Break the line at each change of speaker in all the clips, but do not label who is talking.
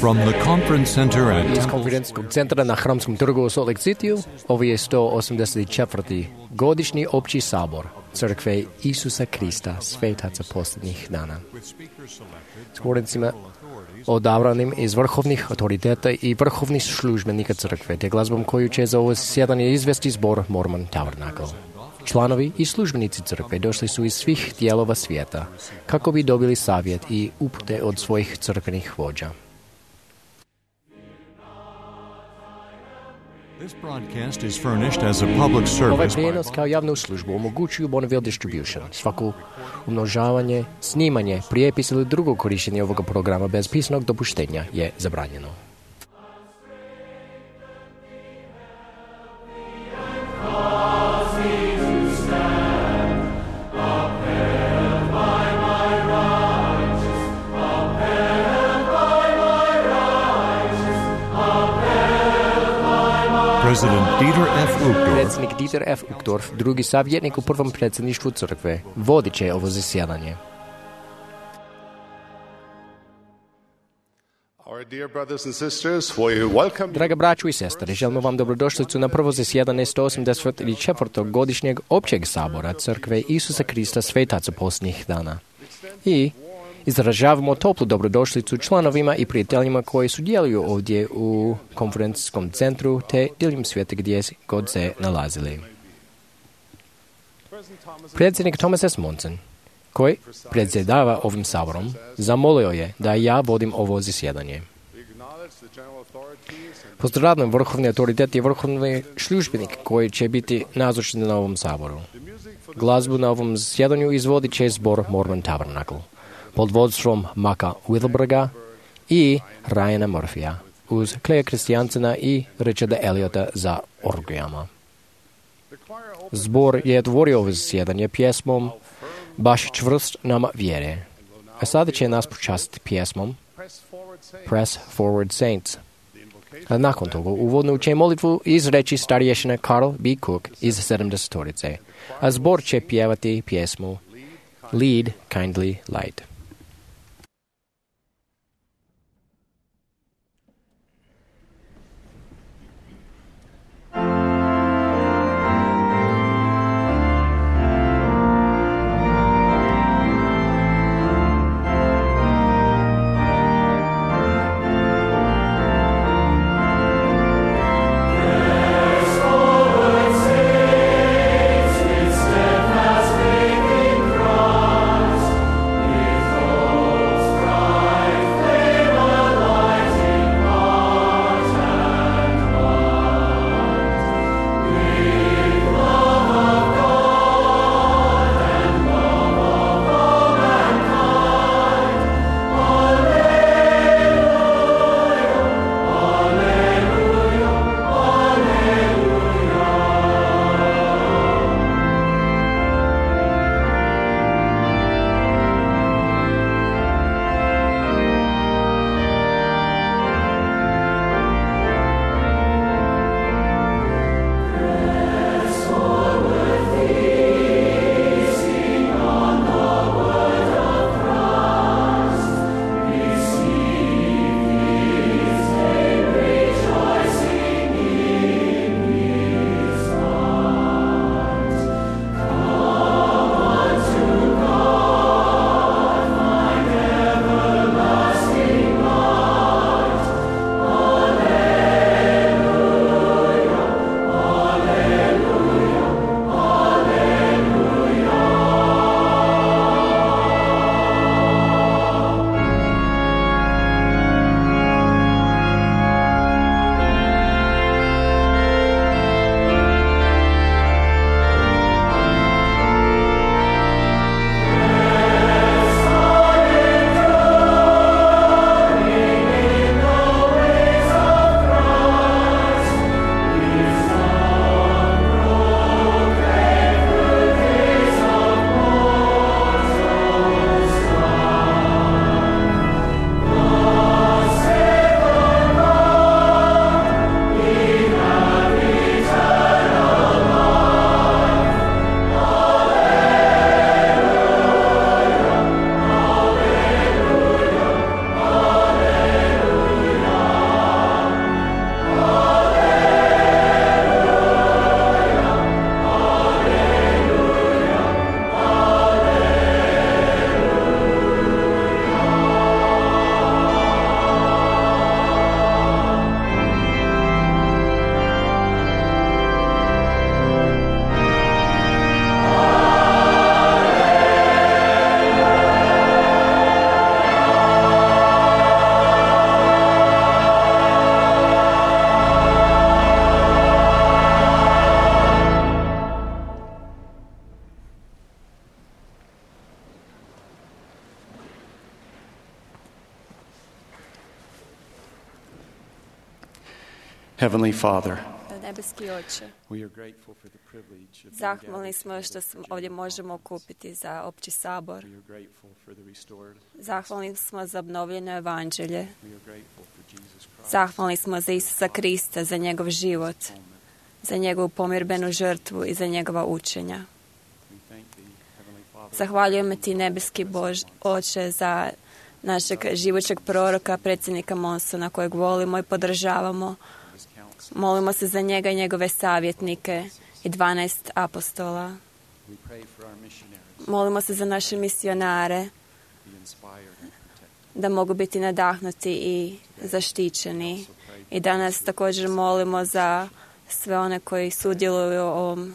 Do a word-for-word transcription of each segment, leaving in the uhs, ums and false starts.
From the conference center at
Iz konferencijskog centra na Hramskom trgu u Salt Lake Cityu, ovo je sto osamdeset četvrti godišnji opći sabor Crkve Isusa Krista, svetaca posljednjih dana. S govornicima odabranim iz vrhovnih autoriteta i vrhovnih službenika crkve, te glazbom koju će za ovo sjedanje izvesti zbor Mormon Tabernacle. Članovi i službenici crkve došli su iz svih dijelova svijeta kako bi dobili savjet i upute od svojih crkvenih vođa.
This broadcast is furnished as a public service.
Ovaj prijenos kao javnu službu omogućuju Bonneville Distribution. Svako umnožavanje, snimanje, prijepis ili drugo korištenje ovoga programa bez pisanog dopuštenja je zabranjeno.
President Dieter F. Uchtdorf.
Predsjednik Dieter F. Uchtdorf, drugi savjetnik u prvom predsjedništvu crkve, vodit će ovo zasjedanje. Draga braćo i sestre, želimo vam dobrodošlicu na prvo zasjedanje sto osamdeset četvrtog godišnjeg općeg sabora Crkve Isusa Krista, svetaca posljednjih dana. I izražavamo toplu dobrodošlicu članovima i prijateljima koji sudjeluju ovdje u konferencijskom centru te diljem svijeta gdje god se nalazili. Predsjednik Thomas S. Monson, koji predsjedava ovim saborom, zamolio je da ja vodim ovo zasjedanje. Pozdravljam vrhovni autoritet i vrhovni službenik koji će biti nazočni na ovom saboru. Glazbu na ovom zasjedanju izvodit će zbor Mormon Tabernacle pod vodstvom Maka Wilberga i Ryana Murphyja, uz Kleja Kristijansena i Richarda Elliota za orgijama. Zbor je otvorio ovo zasjedanje pjesmom Baš čvrst nama vjere, a sada će nas počastiti pjesmom Press Forward Saints. A nakon toga uvodnu će molitvu izreći starješina Carl B. Cook iz sedamdesetorice, a zbor će pjevati pjesmu Lead Kindly Light.
Steadfast faith in Christ, Heavenly Father,
Nebeski Oče,
we are grateful for the privilege of being
zahvalni
gathered
smo što
together
smo
for
ovdje
Jubilee
možemo
Conference.
okupiti za opći sabor.
We are grateful for the restored.
Zahvalni smo za obnovljeno evanđelje.
We are grateful for Jesus Christ.
Zahvalni smo za Isusa Krista, za njegov život, za njegovu pomirbenu žrtvu i za njegova učenja.
We thank thee, Heavenly Father,
Zahvaljujemo ti, nebeski Bož, Oče, za našeg živućeg proroka, predsjednika Monsona, kojeg volimo i podržavamo.
for his counsel.
Molimo se za njega i njegove savjetnike i dvanaest apostola.
We pray for our missionaries
Molimo se za naše misionare,
to be inspired and protected.
da mogu biti nadahnuti i zaštićeni. I danas također molimo za sve one koji sudjeluju u ovom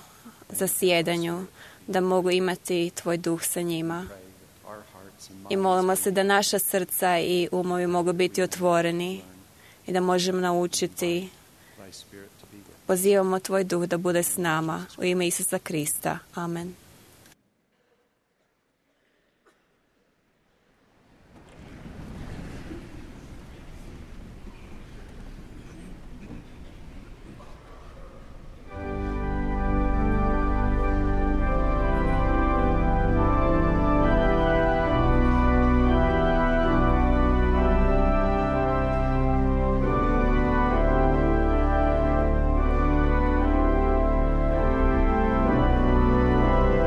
zasjedanju, da mogu imati tvoj duh sa njima.
Pray that our hearts and
I
minds
molimo se da naša srca i umovi mogu biti otvoreni i da možemo naučiti.
thy spirit to be with us.
Pozivamo tvoj duh da bude s nama u ime Isusa Krista. Amen.
Thank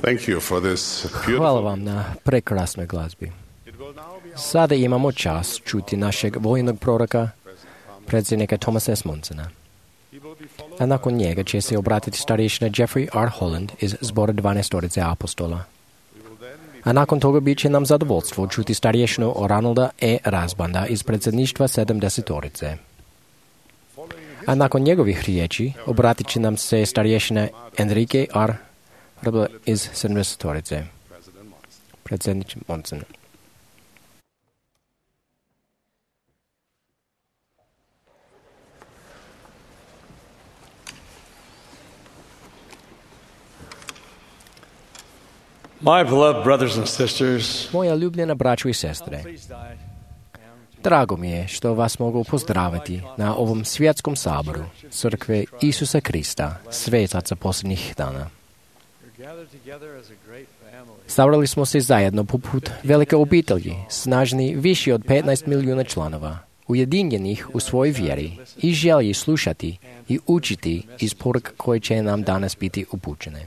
Thank you for this
Hvala
beautiful.
vam na prekrasnoj glazbi. Sada imamo čast čuti našeg vojnog proroka, predsjednika Thomasa S. Monsona. A nakon njega će se obratiti starješina Jeffrey R. Holland iz zbora dvanaestorice apostola. A nakon toga bit će nam zadovoljstvo čuti starješinu Ronalda E. Razbanda iz predsjedništva sedamdesetorice. A nakon njegovih riječi obratit će nam se starješina Enrique R. Rebel iz sedamdesetorice. Predsjednik Monson.
My beloved brothers and sisters,
Moja ljubljena braćo i sestre, drago mi je što vas mogu pozdraviti na ovom svjetskom saboru Crkve Isusa Krista, svetaca posljednjih dana. Sabrali smo se zajedno poput velike obitelji, snažni više od petnaest milijuna članova, ujedinjenih u svojoj vjeri i želji slušati i učiti iz poruka koje će nam danas biti upućene.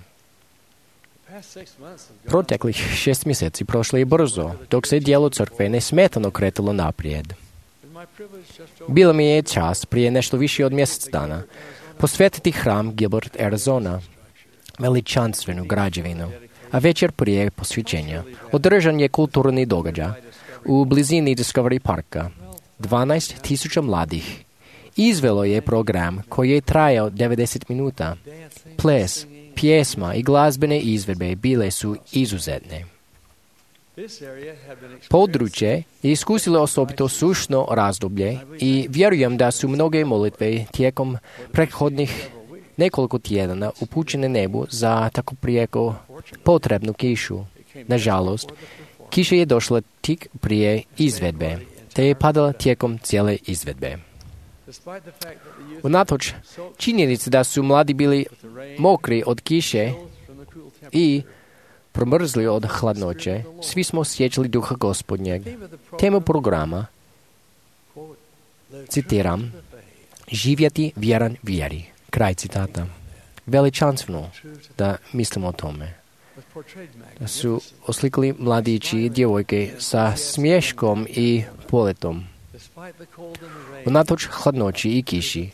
Proteklih šest mjeseci prošlo je brzo, dok se dijelo crkve nesmetano kretalo naprijed. Bila mi je čast prije nešto više od mjesec dana posvetiti hram Gilbert, Arizona, veličanstvenu građevinu, a večer prije posvećenja održan je kulturni događaj u blizini Discovery Parka. dvanaest tisuća mladih izvelo je program koji je trajao devedeset minuta. Ples, pjesma i glazbene izvedbe bile su izuzetne. Područje je iskusilo osobito sušno razdoblje i vjerujem da su mnoge molitve tijekom prethodnih nekoliko tjedana upućene nebu za tako prijeko potrebnu kišu. Nažalost, kiša je došla tik prije izvedbe, te je padala tijekom cijele izvedbe. Unatoč činjenici da su mladi bili mokri od kiše i promrzli od hladnoće, svi smo osjećali duha Gospodnjeg. Tema programa, citiram, živjeti vjeran vjeri. Kraj citata. Veličanstveno da mislimo o tome. Da su oslikali mladići i djevojke sa smješkom i poletom. Unatoč hladnoći i kiši,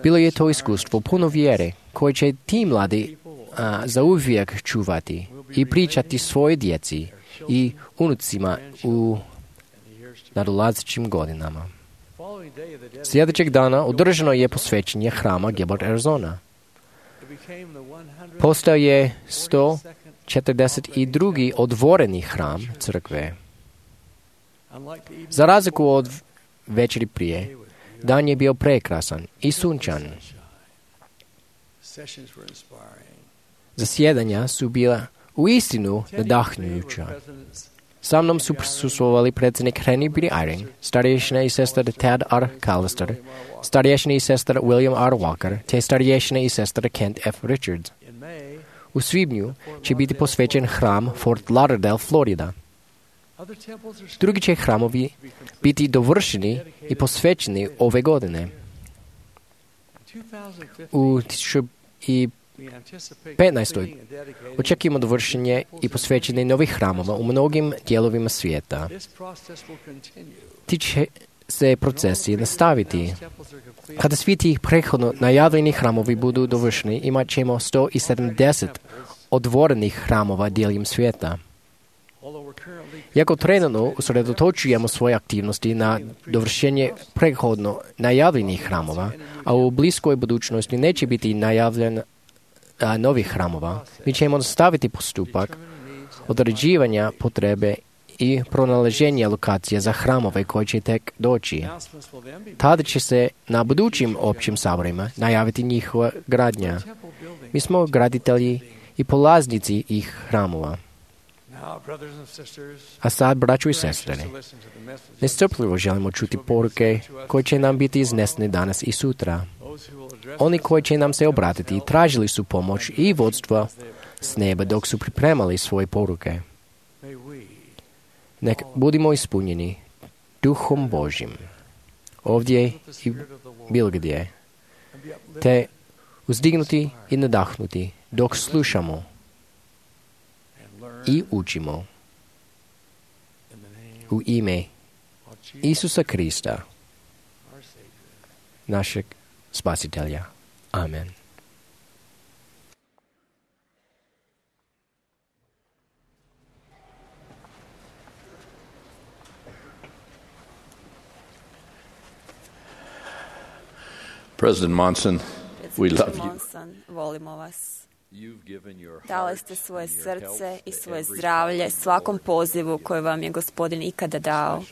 bilo je to iskustvo puno vjere koje će ti mladi a, zauvijek čuvati i pričati svoje djeci i unucima u nadolazećim godinama. Sljedećeg dana održano je posvećenje hrama Gilbert, Arizona. Postao je sto četrdeset drugi odvoreni hram crkve. Za razliku od večeri prije, dan je bio prekrasan i sunčan. Zasjedanja su bila uistinu nadahnjujuća. Sa mnom su prisustvovali predsjednik Henry B. Eyring, starješina i sestar Tad R. Callister, starješina i sestar William R. Walker, te starješina i sestar Kent F. Richards. U svibnju će biti posvećen hram Fort Lauderdale, Florida. Drugi će hramovi biti dovršeni i posvećeni ove godine. U tisuću petnaestoj očekujemo dovršenje i posvećenje novih hramova u mnogim dijelovima svijeta. Ti će se procesi nastaviti. Kada svi ti prethodno najavljeni hramovi budu dovršeni, imat ćemo sto sedamdeset odvorenih hramova diljem svijeta. Iako trenutno usredotočujemo svoje aktivnosti na dovršenje prethodno najavljenih hramova, a u bliskoj budućnosti neće biti najavljen a, novih hramova, mi ćemo nastaviti postupak određivanja potrebe i pronalaženja lokacije za hramove koji će tek doći. Tada će se na budućim općim saborima najaviti njihova gradnja. Mi smo graditelji i polaznici ih hramova. A sad, braćo i sestre, nestrpljivo želimo čuti poruke koje će nam biti iznesene danas i sutra. Oni koji će nam se obratiti tražili su pomoć i vodstva s neba dok su pripremali svoje poruke. Nek budimo ispunjeni Duhom Božjim, ovdje i bilo gdje, te uzdignuti i nadahnuti dok slušamo i učimo u ime Isusa Krista, našeg Spasitelja. Amen.
President Monson, we love you.
Monson, volimo vas.
You've given your
Dali
heart
ste svoje
and your
srce
health
i
to
svoje
every
zdravlje
calling
svakom
Lord
pozivu
has
koji vam je Gospodin ikada dao,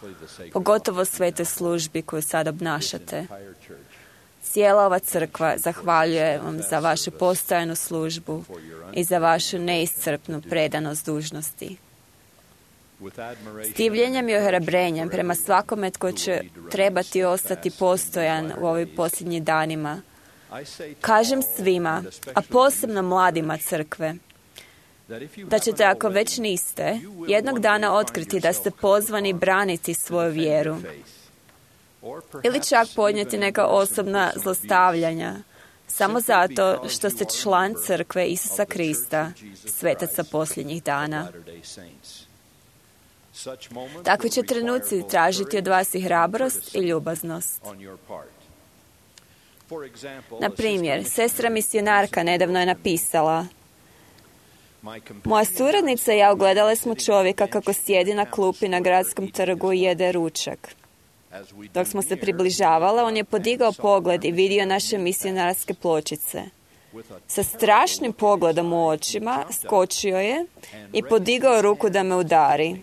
pogotovo svetoj službi koju sad obnašate.
entire church
Cijela ova crkva zahvaljuje vam za vašu postojanu službu i za vašu neiscrpnu predanost dužnosti.
with admiration
S divljenjem i ohrabrenjem prema svakome tko će trebati ostati postojan u ovim posljednjim danima,
I say to
kažem
all,
svima,
and
a
especially
posebno mladima crkve,
that if you
da ćete,
haven't
ako već
already,
niste,
you will
jednog
one
dana
day find
otkriti da ste
yourself
pozvani
called
braniti
to
svoju
defend your
vjeru
faith, or
ili
perhaps
čak
even
podnijeti neka
endure some
osobna
personal
zlostavljanja, samo
simply
zato
because
što
you
ste
are a
član
member
crkve
of
Isusa
the
Krista,
Church of Jesus
svetaca
Christ
posljednjih
of
dana.
Latter-day Saints. Such moments
Takvi
will
će
require
trenuci
both
tražiti od vas i
courage and
hrabrost i
courtesy
ljubaznost.
on your part. For example,
Na
a
primjer,
sister
sestra
missionary
misionarka
recently
nedavno je
wrote to me,
napisala:
"My companion
Moja suradnica i ja ugledale smo
sitting on
čovjeka
the
kako
bench
sjedi na
in the
klupi na
town
gradskom
square
trgu i
eating his
jede
lunch.
ručak.
As we
Dok
drew
smo se
near,
približavale, on je
we
podigao
saw
pogled i
our
vidio
missionary
naše
knee
misionarske pločice.
with a
Sa
terrible
strašnim
look in his
pogledom u
eye, he
očima
jumped up
skočio je
and
i
raised
podigao
his
ruku da
hand
me
to
udari.
me.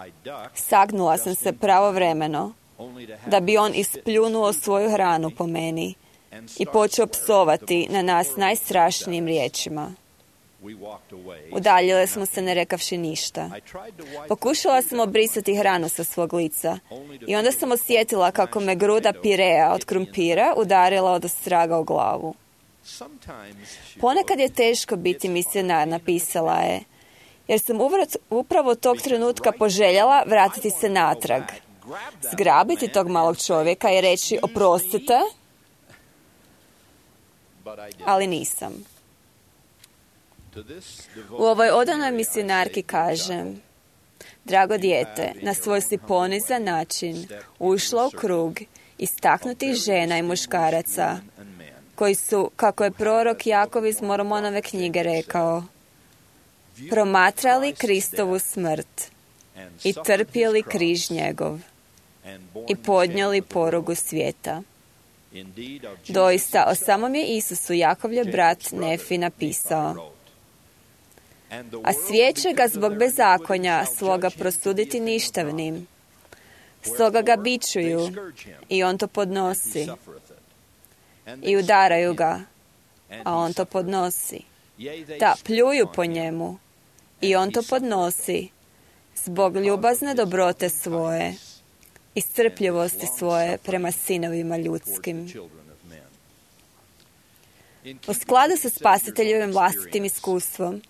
I ducked
Sagnula sam
just
se
in time,
pravovremeno
only to have
da bi on
him spit
ispljunuo
his food
svoju hranu
at
po
me
meni
and
i
start
počeo
swearing
psovati
the most
na nas
horrible
najstrašnijim
things at us.
riječima.
We walked away,
Udaljile
saying
smo se
nothing.
ne rekavši ništa.
I tried to wipe the
Pokušala
food
sam
out of my
obrisati
face,
hranu sa svog lica
only to
i onda
feel
sam
the
osjetila kako me
mashed
gruda
potatoes
pirea od
hit me in the
krumpira
back.
udarila od ostraga u glavu.
Sometimes, she
Ponekad je
wrote,
teško biti
"It's
misionar,
hard being a
napisala je,
missionary,
jer sam uvrat- upravo tog
because
trenutka
right
poželjela
now
vratiti
I
se
wanna go
natrag,
back, grab that
zgrabiti
man
tog malog
and say,
čovjeka i reći
"Excuse
oprostite,
me?" But I didn't.
ali nisam.
To this
U ovoj
devoted
odanoj
missionary I
misionarki
say,
kažem: Drago dijete, na svoj si ponizan način ušla u krug istaknutih žena i muškaraca koji su, kako je prorok Jakov iz Mormonove knjige rekao, promatrali Kristovu smrt i trpjeli križ njegov i podnijeli porugu svijeta. Doista, o samom je Isusu Jakovljev brat Nefi napisao: a svijet će ga zbog bezakonja svoga prosuditi ništavnim. Stoga ga bičuju i on to podnosi. I udaraju ga, a on to podnosi. Da, pljuju po njemu i on to podnosi zbog ljubazne dobrote svoje i strpljivosti svoje prema sinovima ljudskim. U skladu sa Spasiteljevim vlastitim iskustvom,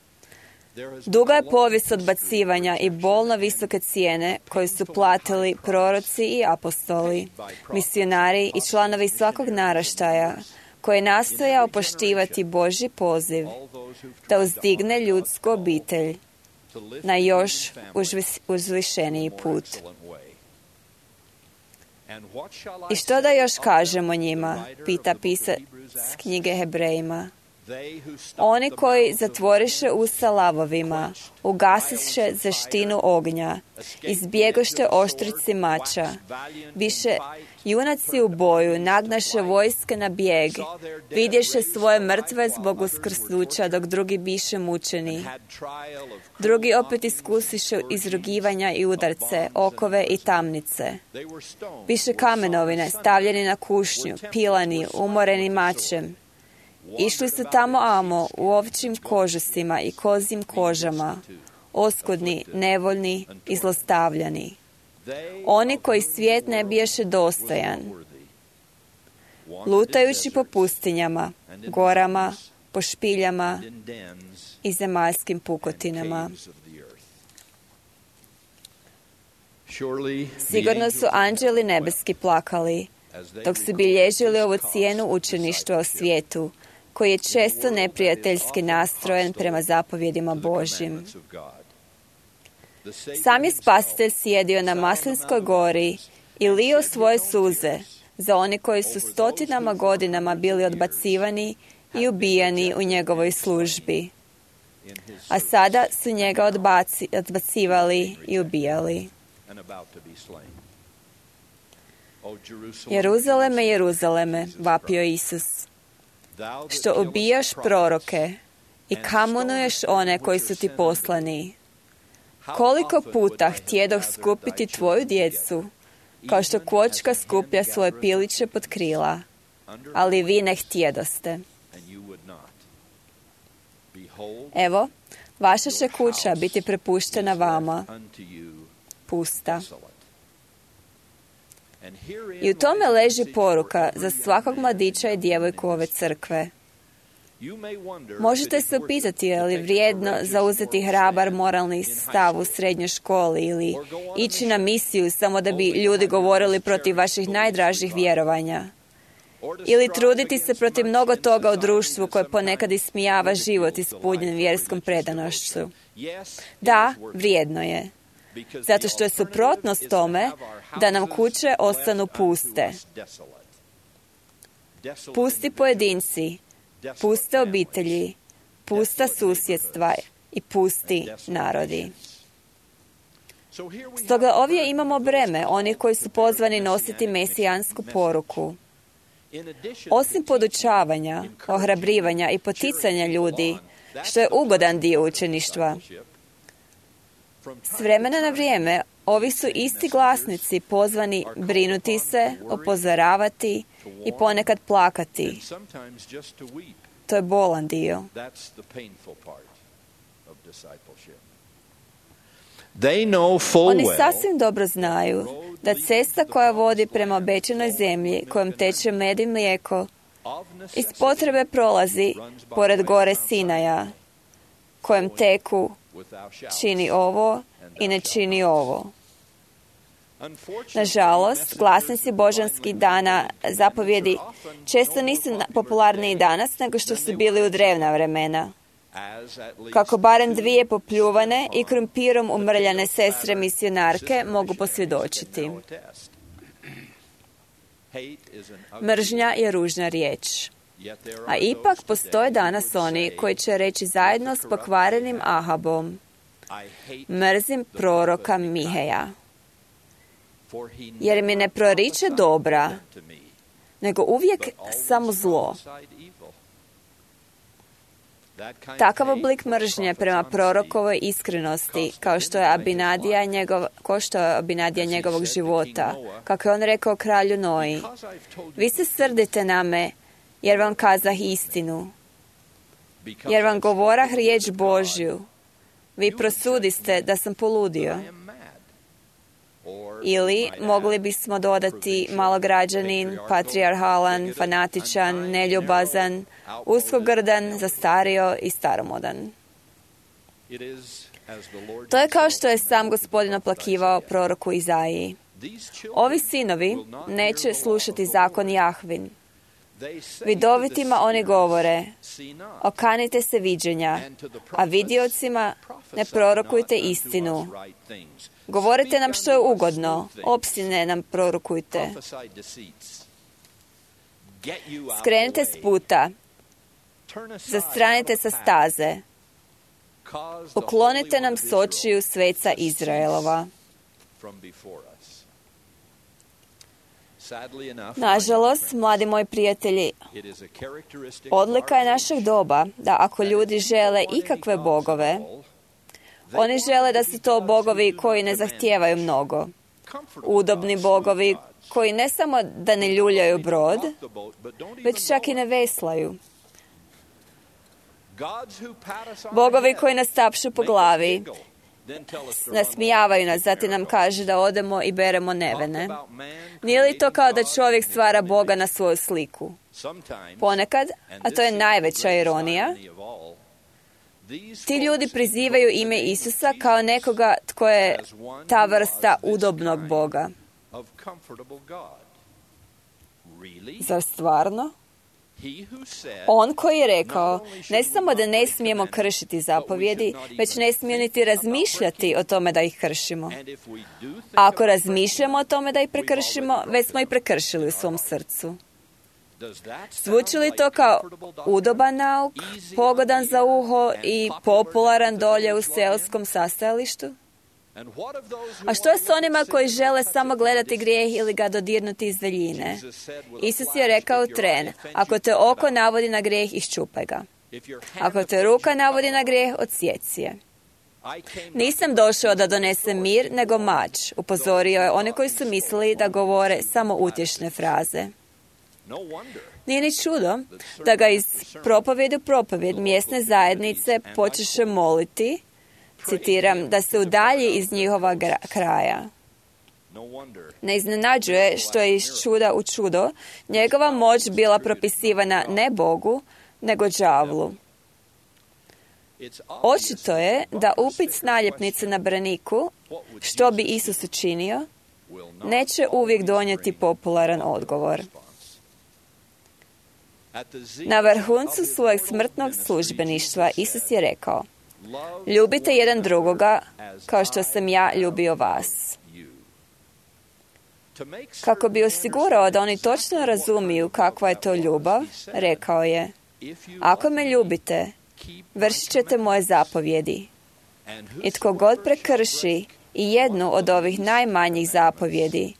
duga je povijest odbacivanja i bolno visoke cijene koje su platili proroci i apostoli, misionari i članovi svakog naraštaja, koji je nastojao poštivati Božji poziv da uzdigne ljudsku obitelj na još uzvišeniji put. I što da još kažemo njima, pita pisac knjige Hebrejima. Oni koji zatvoriše usta lavovima, ugasiše zeštinu ognja, izbjegošte oštrici mača, više junaci u boju nagnaše vojske na bijeg, vidješe svoje mrtve zbog uskrsnuća, dok drugi biše mučeni. Drugi opet iskusiše izrugivanja i udarce, okove i tamnice. Biše kamenovine, stavljeni na kušnju, pilani, umoreni mačem. Išli su tamo amo u ovčim kožusima i kozim kožama, oskudni, nevoljni i zlostavljani. Oni koji svijet ne biješe dostojan, lutajući po pustinjama, gorama, po špiljama i zemaljskim pukotinama. Sigurno su anđeli nebeski plakali, dok su bilježili ovu cijenu učeništva o svijetu, koji je često neprijateljski nastrojen prema zapovjedima Božjim. Sam je Spasitelj sjedio na Maslinskoj gori i lio svoje suze za one koji su stotinama godinama bili odbacivani i ubijani u njegovoj službi. A sada su njega odbaci, odbacivali i ubijali. Jeruzaleme, Jeruzaleme, vapio Isus, što ubijaš proroke i kamonuješ one koji su ti poslani. Koliko puta htjedoh skupiti tvoju djecu, kao što kvočka skuplja svoje piliće pod krila, ali vi ne htjedoste. Evo, vaša će kuća biti prepuštena vama, pusta. I u tome leži poruka za svakog mladića i djevojku ove crkve. Možete se upitati je li vrijedno zauzeti hrabar moralni stav u srednjoj školi ili ići na misiju samo da bi ljudi govorili protiv vaših najdražih vjerovanja. Ili truditi se protiv mnogo toga u društvu koje ponekad ismijava život ispunjen vjerskom predanošću. Da, vrijedno je. Zato što je suprotnost tome da nam kuće ostanu puste. Pusti pojedinci, puste obitelji, pusta susjedstva i pusti narodi. Stoga ovdje imamo breme onih koji su pozvani nositi mesijansku poruku. Osim podučavanja, ohrabrivanja i poticanja ljudi, što je ugodan dio učeništva, s vremena na vrijeme ovi su isti glasnici pozvani brinuti se, upozoravati i ponekad plakati. To je bolan dio. Oni sasvim dobro znaju da cesta koja vodi prema obećanoj zemlji, kojom teče med i mlijeko, iz potrebe prolazi pored gore Sinaja, kojem teku čini ovo i ne čini ovo. Nažalost, glasnici božanskih dana zapovjedi često nisu popularniji danas nego što su bili u drevna vremena. Kako barem dvije popljuvane i krumpirom umrljane sestre misionarke mogu posvjedočiti. Mržnja je ružna riječ. A ipak postoje danas oni koji će reći zajedno s pokvarenim Ahabom: mrzim proroka Miheja, jer mi ne proriče dobra, nego uvijek samo zlo. Takav oblik mržnje prema prorokovoj iskrenosti, kao što je Abinadija, njegov, kao što je Abinadija njegovog života, kako je on rekao kralju Noji: vi se srdite na me, jer vam kazah istinu, jer vam govorah riječ Božju, vi prosudiste da sam poludio. Ili mogli bismo dodati malograđanin, patrijarhalan, fanatičan, neljubazan, uskogrdan, zastario i staromodan. To je kao što je sam Gospodin oplakivao proroku Izaiji. Ovi sinovi neće slušati zakon Jahvin. Vidovitima oni govore: okanite se viđenja, a vidiocima ne prorokujte istinu. Govorite nam što je ugodno, opsine nam prorokujte. Skrenite s puta, zastranite sa staze, uklonite nam s očiju sveca Izraelova. Nažalost, mladi moji prijatelji, odlika je našeg doba da ako ljudi žele ikakve bogove, oni žele da su to bogovi koji ne zahtijevaju mnogo. Udobni bogovi koji ne samo da ne ljuljaju brod, već čak i ne veslaju. Bogovi koji nas tapšu po glavi, nasmijavaju nas, zatim nam kaže da odemo i beremo nevene. Nije li to kao da čovjek stvara Boga na svoju sliku? Ponekad, a to je najveća ironija, ti ljudi prizivaju ime Isusa kao nekoga tko je ta vrsta udobnog Boga. Zar stvarno? On koji je rekao, ne samo da ne smijemo kršiti zapovjedi, već ne smijemo niti razmišljati o tome da ih kršimo. A ako razmišljamo o tome da ih prekršimo, već smo ih prekršili u svom srcu. Zvuči li to kao udoban nauk, pogodan za uho i popularan dolje u seoskom sastajalištu? A što je s onima koji žele samo gledati grijeh ili ga dodirnuti iz daljine? Isus je rekao tren, ako te oko navodi na grijeh, iščupaj ga. Ako te ruka navodi na grijeh, odsjeci je. Nisam došao da donesem mir, nego mač, upozorio je one koji su mislili da govore samo utješne fraze. Nije ni čudo da ga iz propovjedi u propovjed mjesne zajednice počeše moliti, citiram, da se udalji iz njihova gra- kraja. Ne iznenađuje što je iz čuda u čudo njegova moć bila propisivana ne Bogu, nego đavlu. Očito je da upit s naljepnice na braniku, što bi Isus učinio, neće uvijek donijeti popularan odgovor. Na vrhuncu svojeg smrtnog službeništva Isus je rekao, ljubite jedan drugoga kao što sam ja ljubio vas. Kako bi osigurao da oni točno razumiju kakva je to ljubav, rekao je, ako me ljubite, vršit ćete moje zapovjedi. I tko god prekrši i jednu od ovih najmanjih zapovjedi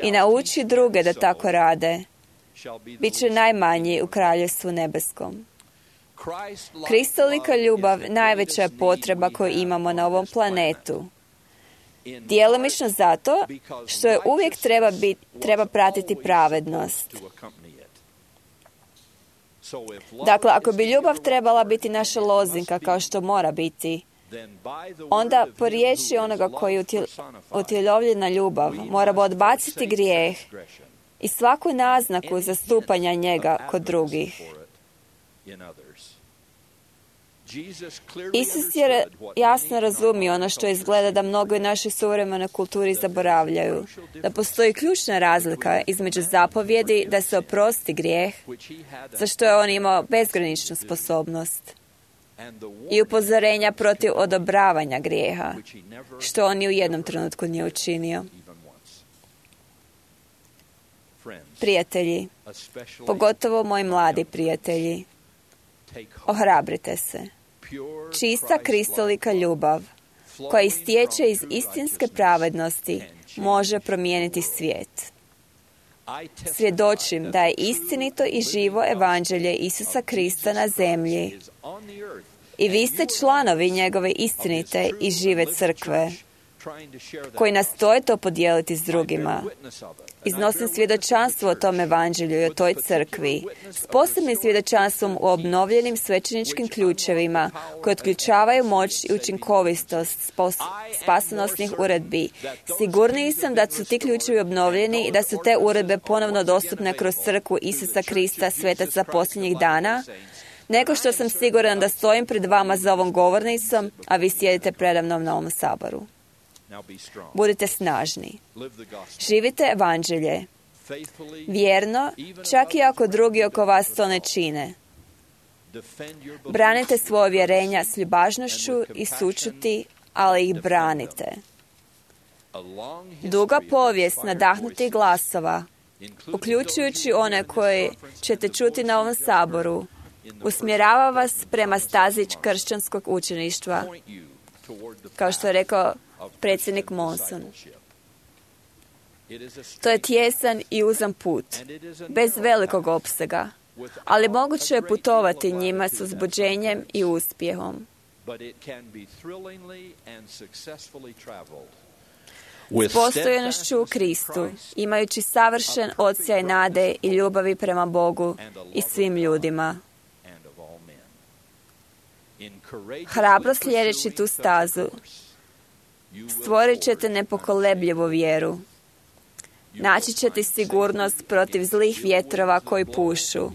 i nauči druge da tako rade, bit će najmanji u kraljevstvu nebeskom. Kristolika ljubav najveća je potreba koju imamo na ovom planetu. Djelomično zato što je uvijek treba, bit, treba pratiti pravednost. Dakle, ako bi ljubav trebala biti naša lozinka kao što mora biti, onda po riječi onoga koji je utjelovljena ljubav moramo odbaciti grijeh i svaku naznaku zastupanja njega kod drugih. Isus je jasno razumio ono što izgleda da mnogo u našoj suvremenoj kulturi zaboravljaju, da postoji ključna razlika između zapovjedi da se oprosti grijeh, za što je on imao bezgraničnu sposobnost, i upozorenja protiv odobravanja grijeha, što on ni u jednom trenutku nije učinio. Prijatelji, pogotovo moji mladi prijatelji, ohrabrite se. Čista kristolika ljubav, koja istječe iz istinske pravednosti, može promijeniti svijet. Svjedočim da je istinito i živo evanđelje Isusa Krista na zemlji i vi ste članovi njegove istinite i žive crkve, koji nastoje to podijeliti s drugima. Iznosim svjedočanstvo o tom evanđelju i o toj crkvi, s posebnim svjedočanstvom u obnovljenim svećeničkim ključevima, koji otključavaju moć i učinkovitost spasonosnih uredbi. Sigurniji sam da su ti ključevi obnovljeni i da su te uredbe ponovno dostupne kroz crkvu Isusa Krista, svetaca posljednjih dana, nego što sam siguran da stojim pred vama za ovom govornicom, a vi sjedite predamnom na ovom saboru. Budite snažni. Živite evanđelje. Vjerno, čak i ako drugi oko vas to ne čine. Branite svoje vjerenja s ljubažnošću i sućuti, ali ih branite. Duga povijest nadahnutih glasova, uključujući one koje ćete čuti na ovom saboru, usmjerava vas prema stazi kršćanskog učeništva, kao što je rekao predsjednik Monson. To je tijesan i uzan put, bez velikog opsega, ali moguće je putovati njima s uzbuđenjem i uspjehom. S postojanošću u Kristu, imajući savršen odsjaj nade i ljubavi prema Bogu i svim ljudima. Hrabro slijedeći tu stazu, stvorit ćete nepokolebljivu vjeru. Naći ćete sigurnost protiv zlih vjetrova koji pušu,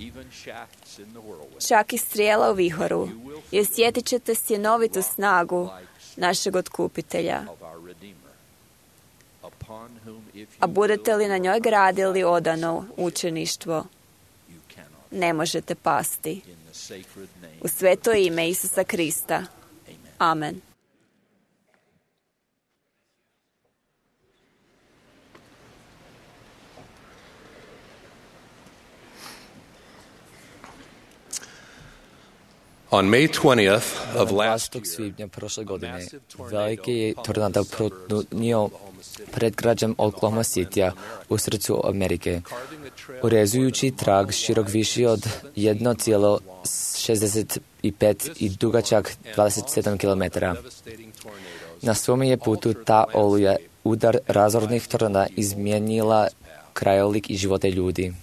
čak i strijela u vihoru, i osjetit ćete sjenovitu snagu našeg otkupitelja. A budete li na njoj gradili odano učeništvo, ne možete pasti. U sveto ime Isusa Krista. Amen.
On May twentieth of last
dvadesetog svibnja prošle godine veliki je tornado protnio predgrađem Oklahoma Citya u srcu Amerike, urezujući trag širok viši od jedan zarez šezdeset pet i dugačak dvadeset sedam kilometara. Na svome je putu ta oluja udar razornih tornada izmijenila krajolik i živote ljudi.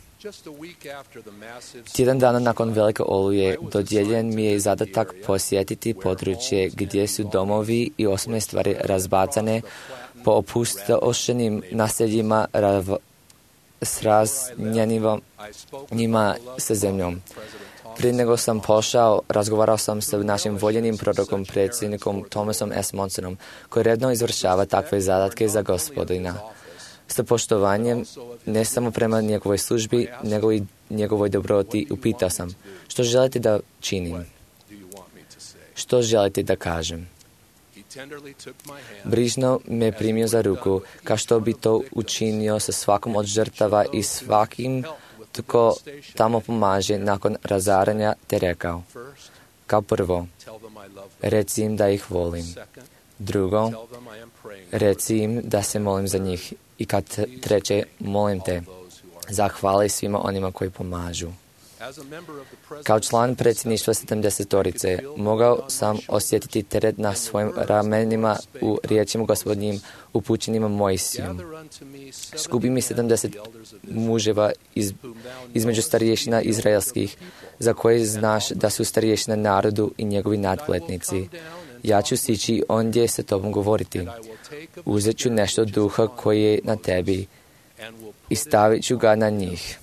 Tjedan dana nakon velike oluje dodijeljen mi je zadatak posjetiti područje gdje su domovi i osobne stvari razbacane po opustošenim naseljima rav, s raznjenima sa zemljom. Prije nego sam pošao, razgovarao sam sa našim voljenim prorokom, predsjednikom Thomasom S. Monsonom, koji redno izvršava takve zadatke za Gospodina. Sa poštovanjem, ne samo prema njegovoj službi, nego i njegovoj dobroti, upitao sam, što želite da činim? Što želite da kažem? Brižno me primio za ruku, kao što bi to učinio sa svakom od žrtava i svakim tko tamo pomaže nakon razaranja, te rekao, kao prvo, reci im da ih volim. Drugo, reci im da se molim za njih. I kad treće, molim te, zahvali svima onima koji pomažu. Kao član predsjedništva sedamdesetorice, mogao sam osjetiti teret na svojim ramenima u riječima Gospodnjim upućenima Mojsijom. Skupi mi sedamdeset muževa iz, između starješina izraelskih, za koje znaš da su starješina narodu i njegovi nadglednici. Ja ću sići ondje sa tobom govoriti. Uzet ću nešto duha koji je na tebi i stavit ću ga na njih.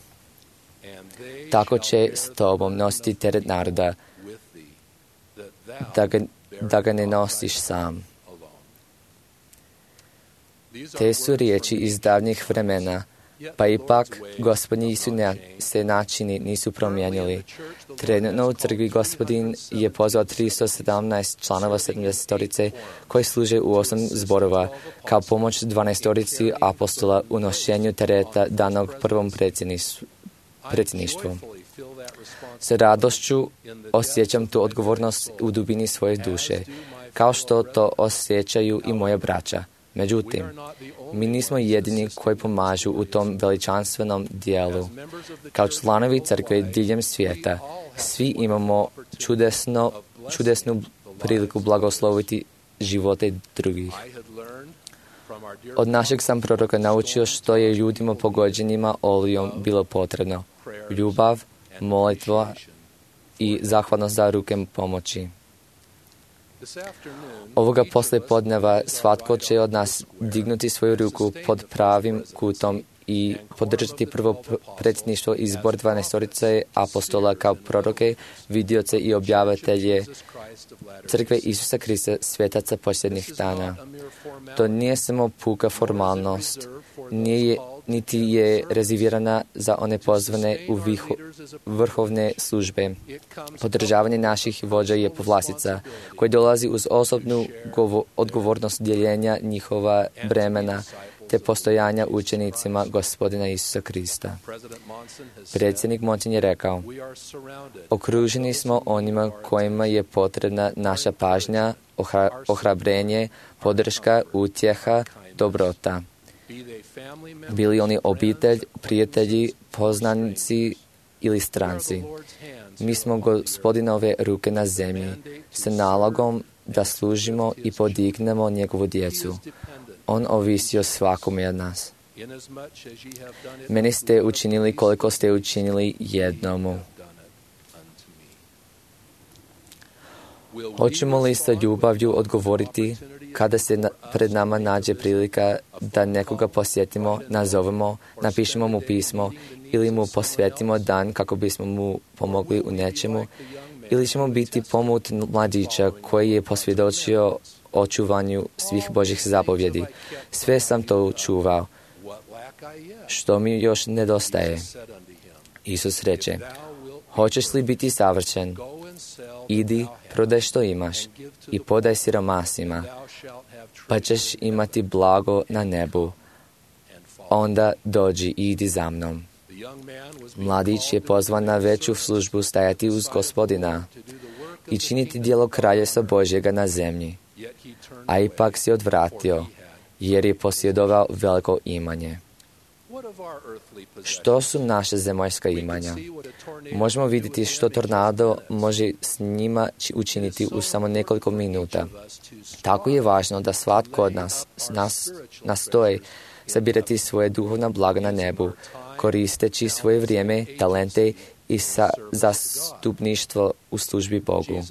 Tako će s tobom nositi teret naroda, da ga, da ga ne nosiš sam. Te su riječi iz davnih vremena, pa ipak Gospodnji su ne, se načini nisu promijenili. Trenutno u crkvi Gospodin je pozvao tristo sedamnaest članova sedamdesetorice koji služe u osam zborova kao pomoć dvanaestorici apostola u nošenju tereta danog prvom predsjedništvu. Sa radošću osjećam tu odgovornost u dubini svoje duše, kao što to osjećaju i moja braća. Međutim, mi nismo jedini koji pomažu u tom veličanstvenom dijelu. Kao članovi crkve diljem svijeta, svi imamo čudesno, čudesnu priliku blagosloviti živote drugih. Od našeg sam proroka naučio što je ljudima pogođenima olujom bilo potrebno. Ljubav, molitva i zahvalnost za ruke pomoći. Ovoga poslijepodneva svatko će od nas dignuti svoju ruku pod pravim kutom i podržati prvo predsjedništvo i zbor dvanaestorice apostola kao proroke, vidioce i objavitelje crkve Isusa Krista, svetaca posljednjih dana. To nije samo puka formalnost, nije, niti je rezervirana za one pozvane u viho, vrhovne službe. Podržavanje naših vođa je povlastica koja dolazi uz osobnu govo, odgovornost dijeljenja njihova bremena te postojanja učenicima Gospodina Isusa Krista. Predsjednik Monson je rekao, okruženi smo onima kojima je potrebna naša pažnja, ohra, ohrabrenje, podrška, utjeha, dobrota. Bili oni obitelj, prijatelji, poznanici ili stranci. Mi smo Gospodinove ruke na zemlji sa nalogom da služimo i podignemo njegovu djecu. On ovisi o svakome od nas. Meni ste učinili koliko ste učinili jednomu. Hoćemo li sa ljubavlju odgovoriti kada se na, pred nama nađe prilika da nekoga posjetimo, nazovemo, napišemo mu pismo ili mu posvetimo dan kako bismo mu pomogli u nečemu, ili ćemo biti pomut mladića koji je posvjedočio očuvanju svih Božjih zapovjedi. Sve sam to čuvao. Što mi još nedostaje? Isus reče,
Hoćeš li biti savršen? Idi, prodaj što imaš i podaj siromasima, pa ćeš imati blago na nebu. Onda dođi i idi za mnom. Mladić je pozvan na veću službu stajati uz Gospodina i činiti djelo Kraljevstva Božjega na zemlji, a ipak se odvratio, jer je posjedovao veliko imanje. Što su naše zemaljska imanja? Možemo vidjeti što tornado može s njima učiniti u samo nekoliko minuta. Tako je važno da svatko od nas, nas nastoji sabirati svoje duhovna blaga na nebu, koristeći svoje vrijeme, talente i sa zastupništvo u službi Bogu.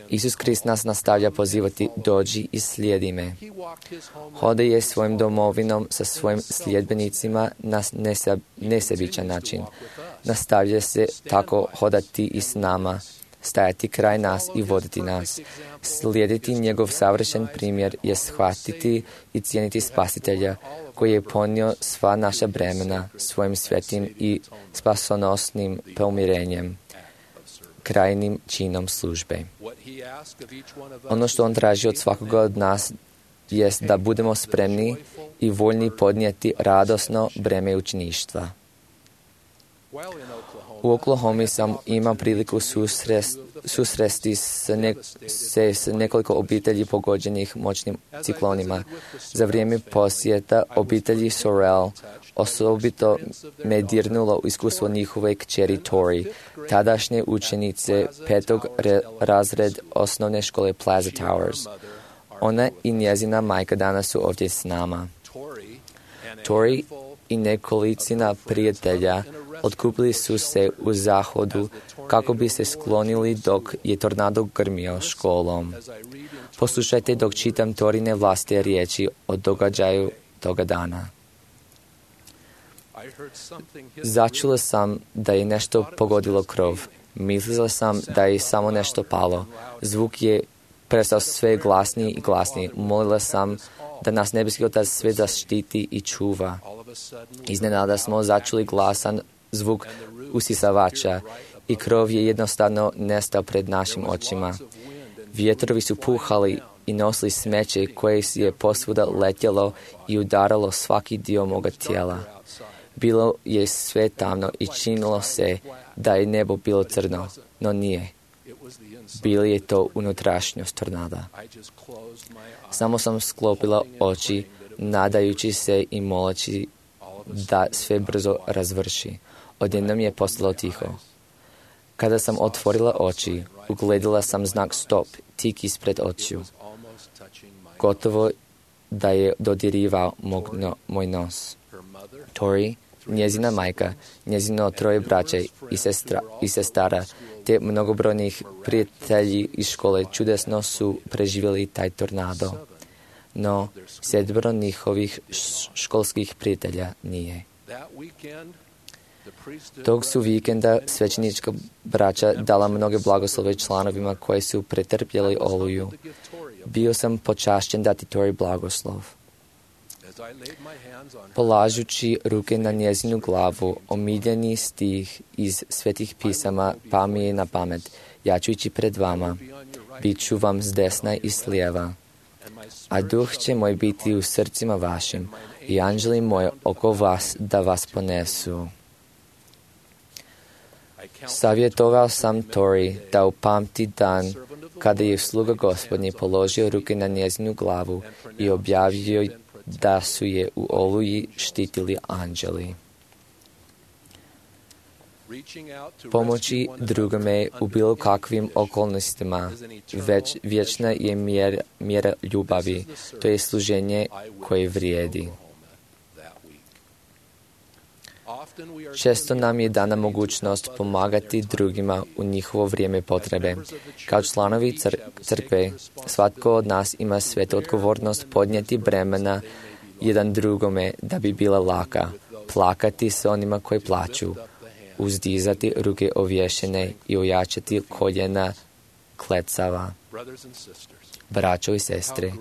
Isus Krist nas nastavlja pozivati: dođi i slijedi me. Hode je svojim domovinom sa svojim sljedbenicima na nesebičan način. Nastavlja se tako hodati i s nama, stajati kraj nas i voditi nas. Slijediti njegov savršen primjer je shvatiti i cijeniti Spasitelja, koji je ponio sva naša bremena svojim svetim i spasonosnim pomirenjem, krajnim činom službe. Ono što on traži od svakoga od nas jest da budemo spremni i voljni podnijeti radosno breme učeništva. U Oklahomi sam imao priliku susrest, susresti s ne, se s nekoliko obitelji pogođenih moćnim ciklonima. Za vrijeme posjeta obitelji Sorrell osobito me dirnulo iskustvo njihove kćeri Tori, tadašnje učenice petog re, razred osnovne škole Plaza Towers. Ona i njezina majka danas su ovdje s nama. Tori i nekolicina prijatelja otkupili su se u zahodu kako bi se sklonili dok je tornado grmio školom. Poslušajte dok čitam Torine vlastite riječi o događaju toga dana. Začula sam da je nešto pogodilo krov. Mislila sam da je samo nešto palo. Zvuk je prestao sve glasniji i glasniji. Molila sam da nas nebeski Otac sve zaštiti i čuva. Iznenada smo začuli glasan zvuk usisavača i krov je jednostavno nestao pred našim očima. Vjetrovi su puhali i nosili smeće koje je posvuda letjelo i udaralo svaki dio moga tijela. Bilo je sve tamno i činilo se da je nebo bilo crno, no nije. Bilo je to unutrašnjost tornada. Samo sam sklopila oči, nadajući se i moleći da sve brzo razvrši. Odjednom je postalo tiho. Kada sam otvorila oči, ugledala sam znak stop tik ispred očiju. Gotovo da je dodirivao mog no, moj nos. Tori, njezina majka, njezino troje braće i, sestra, i sestara, te mnogobrojnih prijatelji iz škole čudesno su preživjeli taj tornado. No, sedmero njihovih školskih prijatelja nije. Tog su vikenda svećenička braća dala mnoge blagoslove članovima koji su pretrpjeli oluju. Bio sam počašćen dati Tori blagoslov. Polažući ruke na njezinu glavu, omiljeni stih iz svetih pisama pa mi je na pamet: ja ću ići pred vama, bit ću vam s desna i s lijeva, a duh će moj biti u srcima vašim i anđeli moji oko vas da vas ponesu. Savjetovao sam Tori da upamti dan kada je sluga Gospodnji položio ruke na njezinu glavu i objavio da su je u oluji štitili anđeli. Pomoći drugome u bilo kakvim okolnostima već vječna je mjera, mjera ljubavi, to je služenje koje vrijedi. Često nam je dana mogućnost pomagati drugima u njihovo vrijeme potrebe. Kao članovi cr- crkve, svatko od nas ima svetu odgovornost podnijeti bremena jedan drugome da bi bila laka, plakati s onima koji plaću, uzdizati ruke ovješene i ojačati koljena klecava. Braćo i sestre,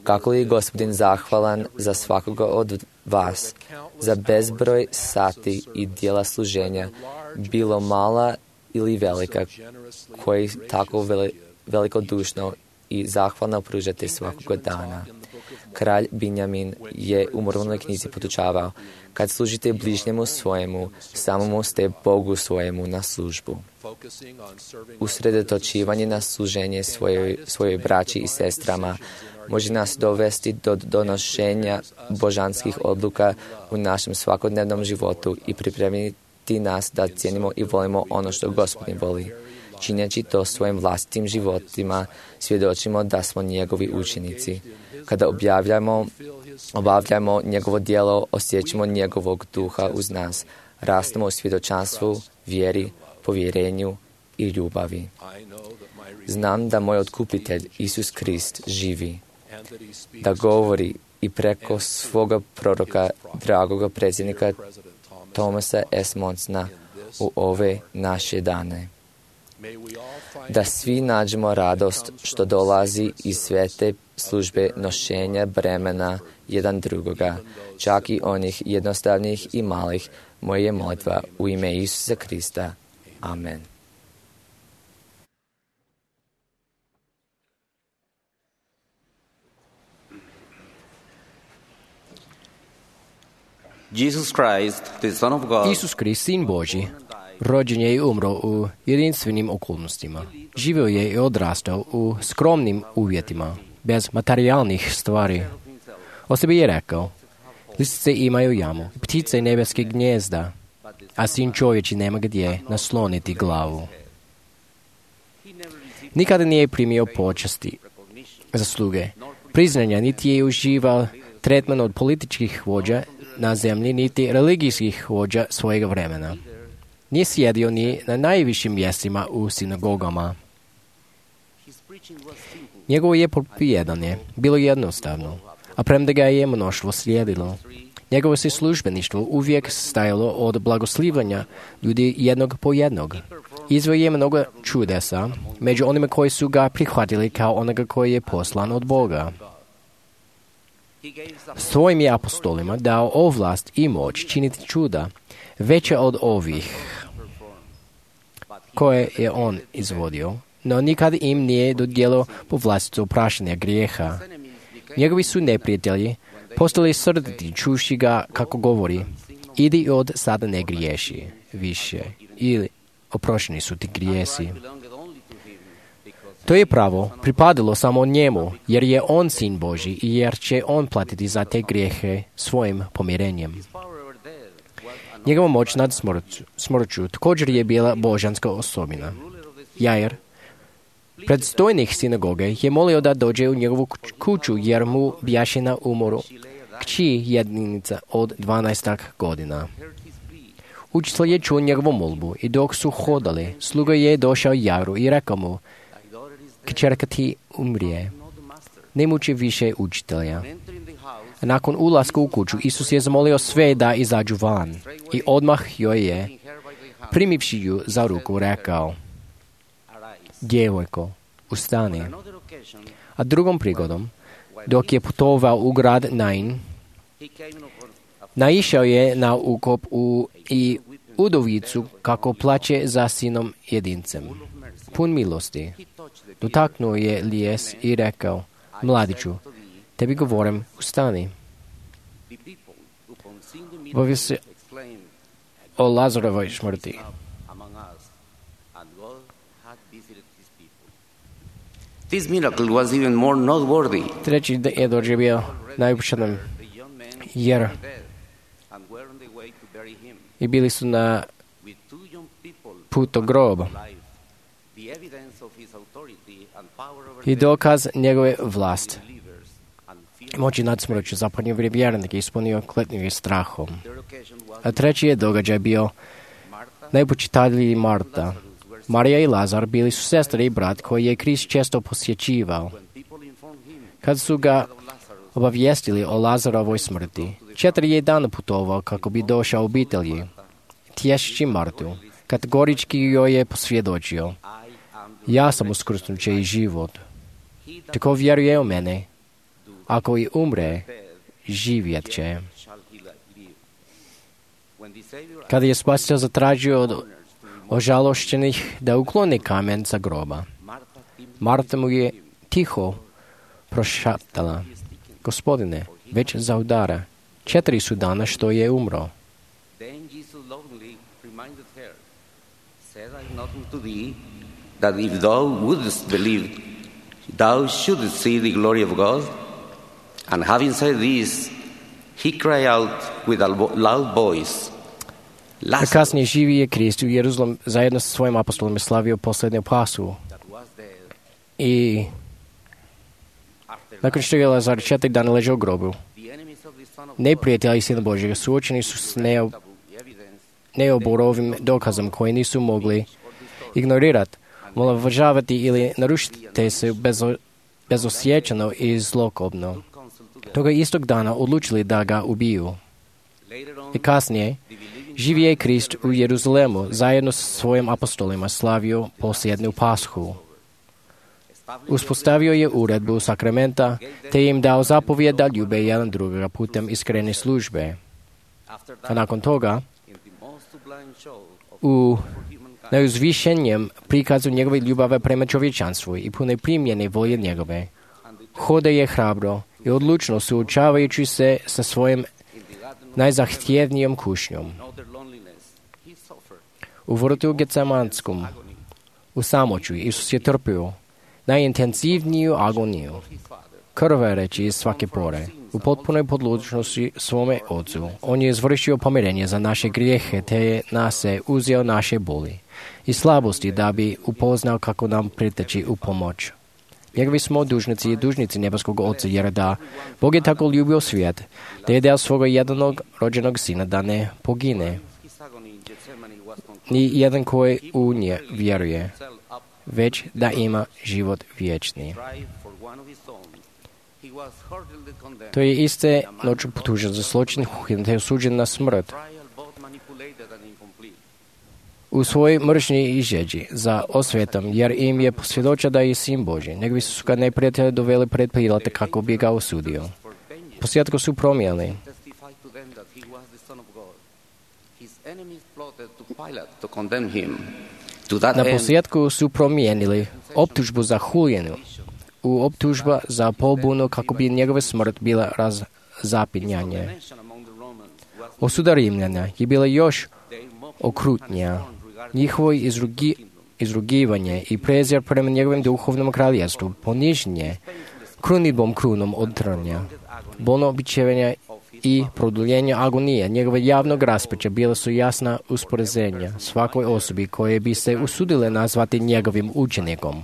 kako li je Gospodin zahvalan za svakoga od vas, za bezbroj sati i dijela služenja, bilo mala ili velika, koji tako veli, velikodušno i zahvalno pružate svakog dana. Kralj Binjamin je u moralnoj knjizi podučavao, kad služite bližnjemu svojemu, samomu ste Bogu svojemu na službu. Usredotočivanje na služenje svojoj, svojoj braći i sestrama može nas dovesti do donošenja božanskih odluka u našem svakodnevnom životu i pripremiti nas da cijenimo i volimo ono što Gospodin voli. Činjeći to svojim vlastitim životima, svjedočimo da smo njegovi učenici. Kada objavljamo, obavljamo njegovo djelo, osjećamo njegovog duha uz nas, rastemo u svjedočanstvu, vjeri, povjerenju i ljubavi. Znam da moj otkupitelj, Isus Krist, živi, da govori i preko svoga proroka, dragoga predsjednika Thomasa S. Monsona u ove naše dane. Da svi nađemo radost što dolazi iz svete službe nošenja bremena jedan drugoga, čak i onih jednostavnih i malih. Moja je molitva u ime Isusa Krista. Amen.
Jesus Christ, the Son of God,
Isus Krist, Sin Božji, rođen je i umro u jedinstvenim okolnostima. Živio je i odrastao u skromnim uvjetima, bez materijalnih stvari. O sebi je rekao, lisice imaju jamu, ptice nebeske gnjezda, a sin čovječi nema gdje nasloniti glavu. Nikada nije primio počasti, zasluge, priznanja, niti je uživao tretman od političkih vođa na zemlji, niti religijskih vođa svojega vremena. Nije sjedio ni na najvišim mjestima u sinagogama. Njegovo je propovijedanje bilo jednostavno, a premda ga je mnoštvo slijedilo. Njegovo se službeništvo uvijek stajalo od blagoslivljanja ljudi jednog po jednog. Izveo je mnogo čudesa među onima koji su ga prihvatili kao onoga koji je poslan od Boga. Svojim je apostolima dao ovlast i moć činiti čuda, veće od ovih koje je on izvodio, no nikad im nije dodijelio po vlastitu opraštanja grijeha. Njegovi su neprijatelji postali srditi čuši ga kako govori, idi od sada ne griješi više, ili oprošteni su ti grijesi. To je pravo pripadalo samo njemu, jer je on sin Božji i jer će on platiti za te grijehe svojim pomirenjem. Njegova moć nad smrću, smrću također je bila božanska osobina. Jair, predstojnik sinagoge, je molio da dođe u njegovu kuću jer mu bjaše na umoru kći jedinica od dvanaestak godina. Učitelj je čuo njegovu molbu i dok su hodali, sluga je došao Jairu i rekao mu, kćerka ti umrije, ne muči više učitelja. A nakon ulaska u kuću, Isus je zamolio sve da izađu van i odmah joj je, primivši ju za ruku, rekao, djevojko, ustani. A drugom prigodom, dok je putovao u grad Nain, naišao je na ukop u, i udovicu kako plaće za sinom jedincem, pun milosti. Dotaknuo je lijes i rekao, mladiću, tebi govorim, ustani. Bavio se o Lazarovoj smrti.
This miracle was even more noteworthy.
Treći je doživio najupućenom, jer i bili su na putu groba. I dokaz njegove vlast. Moći nad smrću zapadnio vjernike ispunio kletnjivim strahom. A treći je događaj bio najpočitaviji Marta. Marija i Lazar bili su sestre i brat koji je Krist često posjećivao. Kad su ga obavijestili o Lazarovoj smrti, četiri je dan putovao kako bi došao obitelji, tješći Martu, kategorički joj je posvjedočio, ja sam uskrsnuće i život. Tako vjeruje u mene, ako i umre, živjet će. Kada je Spasitelj zatražio od ožalošćenih da ukloni kamen sa groba. Marta mu je tiho prošaptala: Gospodine, već zaudara. Četiri su dana što je umro.
Then Jesus lovingly reminded her, said I nothing to thee, that if thou wouldst believe, thou shouldst see the glory of God. And having said this, he cried out with a loud voice,
A kasnije živi je Krist u Jeruzalem zajedno sa svojim apostolima slavio posljednju Pashu. I nakon što je Lazar četiri dana ležao u grobu, neprijatelji Sina Božjega suočeni su s neo, neoborovim dokazom koji nisu mogli ignorirati, omalovažavati ili narušiti se bezo, bezosjećano i zlokobno. Toga istog dana odlučili da ga ubiju. I kasnije, živi je Krist u Jeruzalemu zajedno sa svojim apostolima slavio posljednju Pashu. Uspostavio je uredbu sakramenta, te im dao zapovjed da ljube jedan drugoga putem iskrene službe. A nakon toga, u najuzvišenjem prikazu njegove ljubave prema čovječanstvu i pune primjene volje njegove, hode je hrabro i odlučno suočavajući se sa svojim najzahtjevnijom kušnjom. U vrtu Getsemanskom, u samoću, Isus je trpio najintenzivniju agoniju, krvareći iz svake pore, u potpunoj podložnosti svome Ocu. On je izvršio pomirenje za naše grijehe, te je na se uzeo naše boli i slabosti da bi upoznao kako nam priteći u pomoć. Njegovi smo dužnici i dužnici nebeskog Oca, jer da Bog je tako ljubio svijet, da je dao svoga jednog rođenog sina da ne pogine, ni jedan koji u nje vjeruje, već da ima život vječni. To je iste noću potužen za zločin, te je osuđen na smrt. U svojoj mržnji i žeđi za osvetom, jer im je posvjedočio da je sin Božji. Njegovi su ga neprijatelji doveli pred Pilata kako bi ga osudio. Posljedku su promijenili. Na posljedku su promijenili optužbu za huljenu u optužba za pobunu kako bi njegova smrt bila razapinjanje. Osuda Rimljana je bila još okrutnija. Njihovo izrugi, izrugivanje i prezir prema njegovim duhovnom kraljevstvu, poniženje krunidbom krunom od trnja, bolno običevanje i produljenje agonije njegove javnog raspeća bila su jasna uspoređenja svakoj osobi koje bi se usudile nazvati njegovim učenikom.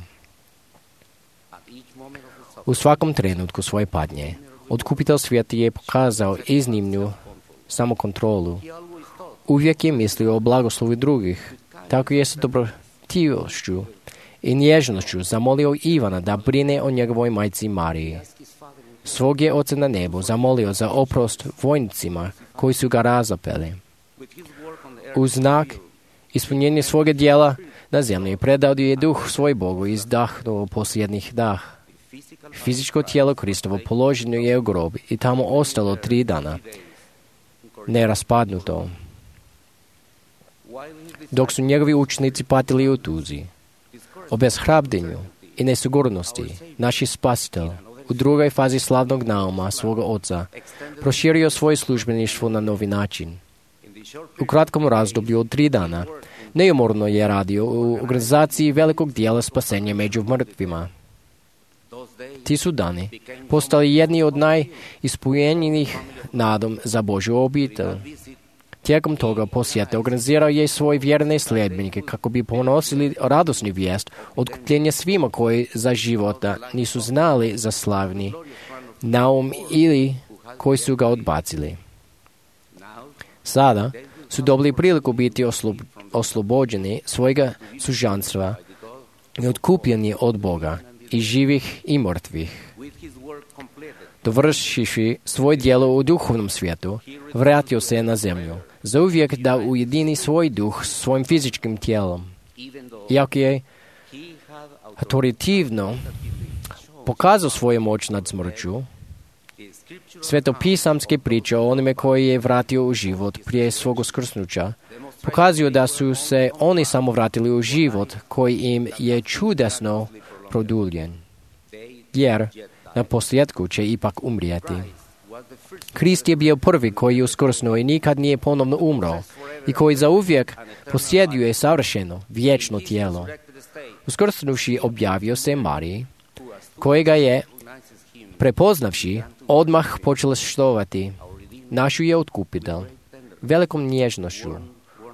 U svakom trenutku svoje patnje, Otkupitelj svijeta je pokazao iznimnu samokontrolu. Uvijek je mislio o blagoslovu drugih. Tako je sa dobrotivnošću i nježnošću zamolio Ivana da brine o njegovoj majci Mariji. Svog je Oca na nebu zamolio za oprost vojnicima koji su ga razapeli. U znak ispunjenja svoga djela na zemlji predao je duh svoj Bogu i izdahnuo posljednjih dah. Fizičko tijelo Kristovo položeno je u grob i tamo ostalo tri dana, neraspadnuto. Dok su njegovi učenici patili u tuzi, obeshrabljenju i nesigurnosti, naši Spasitelj u drugoj fazi slavnog nauma svoga Oca proširio svoje službeništvo na novi način. U kratkom razdoblju od tri dana neumorno je radio u organizaciji velikog dijela spasenja među mrtvima. Ti su dani postali jedni od najispunjenijih nadom za Božju obitelj. Tijekom toga posjete organizirao je svoje vjerne sljedbenike kako bi ponosili radosni vijest otkupljenja svima koji za života nisu znali za slavni naum ili koji su ga odbacili. Sada su dobili priliku biti oslob, oslobođeni svojega sužanstva i otkupljeni od Boga i živih i mrtvih. Dovršivši svoje djelo u duhovnom svijetu, vratio se na zemlju, zauvijek da ujedini svoj duh s svojim fizičkim tijelom. Iako je autoritativno pokazao svoju moć nad smrću, svetopisamske priče o onome koji je vratio u život prije svog uskrsnuća pokazuju da su se oni samo vratili u život koji im je čudesno produljen, jer na posljedku će ipak umrijeti. Krist je bio prvi koji je uskrsnuo i nikad nije ponovno umro i koji zauvijek posjeduje savršeno, vječno tijelo. Uskrsnuši objavio se Mariji, kojega je, prepoznavši, odmah počela štovati. Našu je otkupitelj, velikom nježnošću,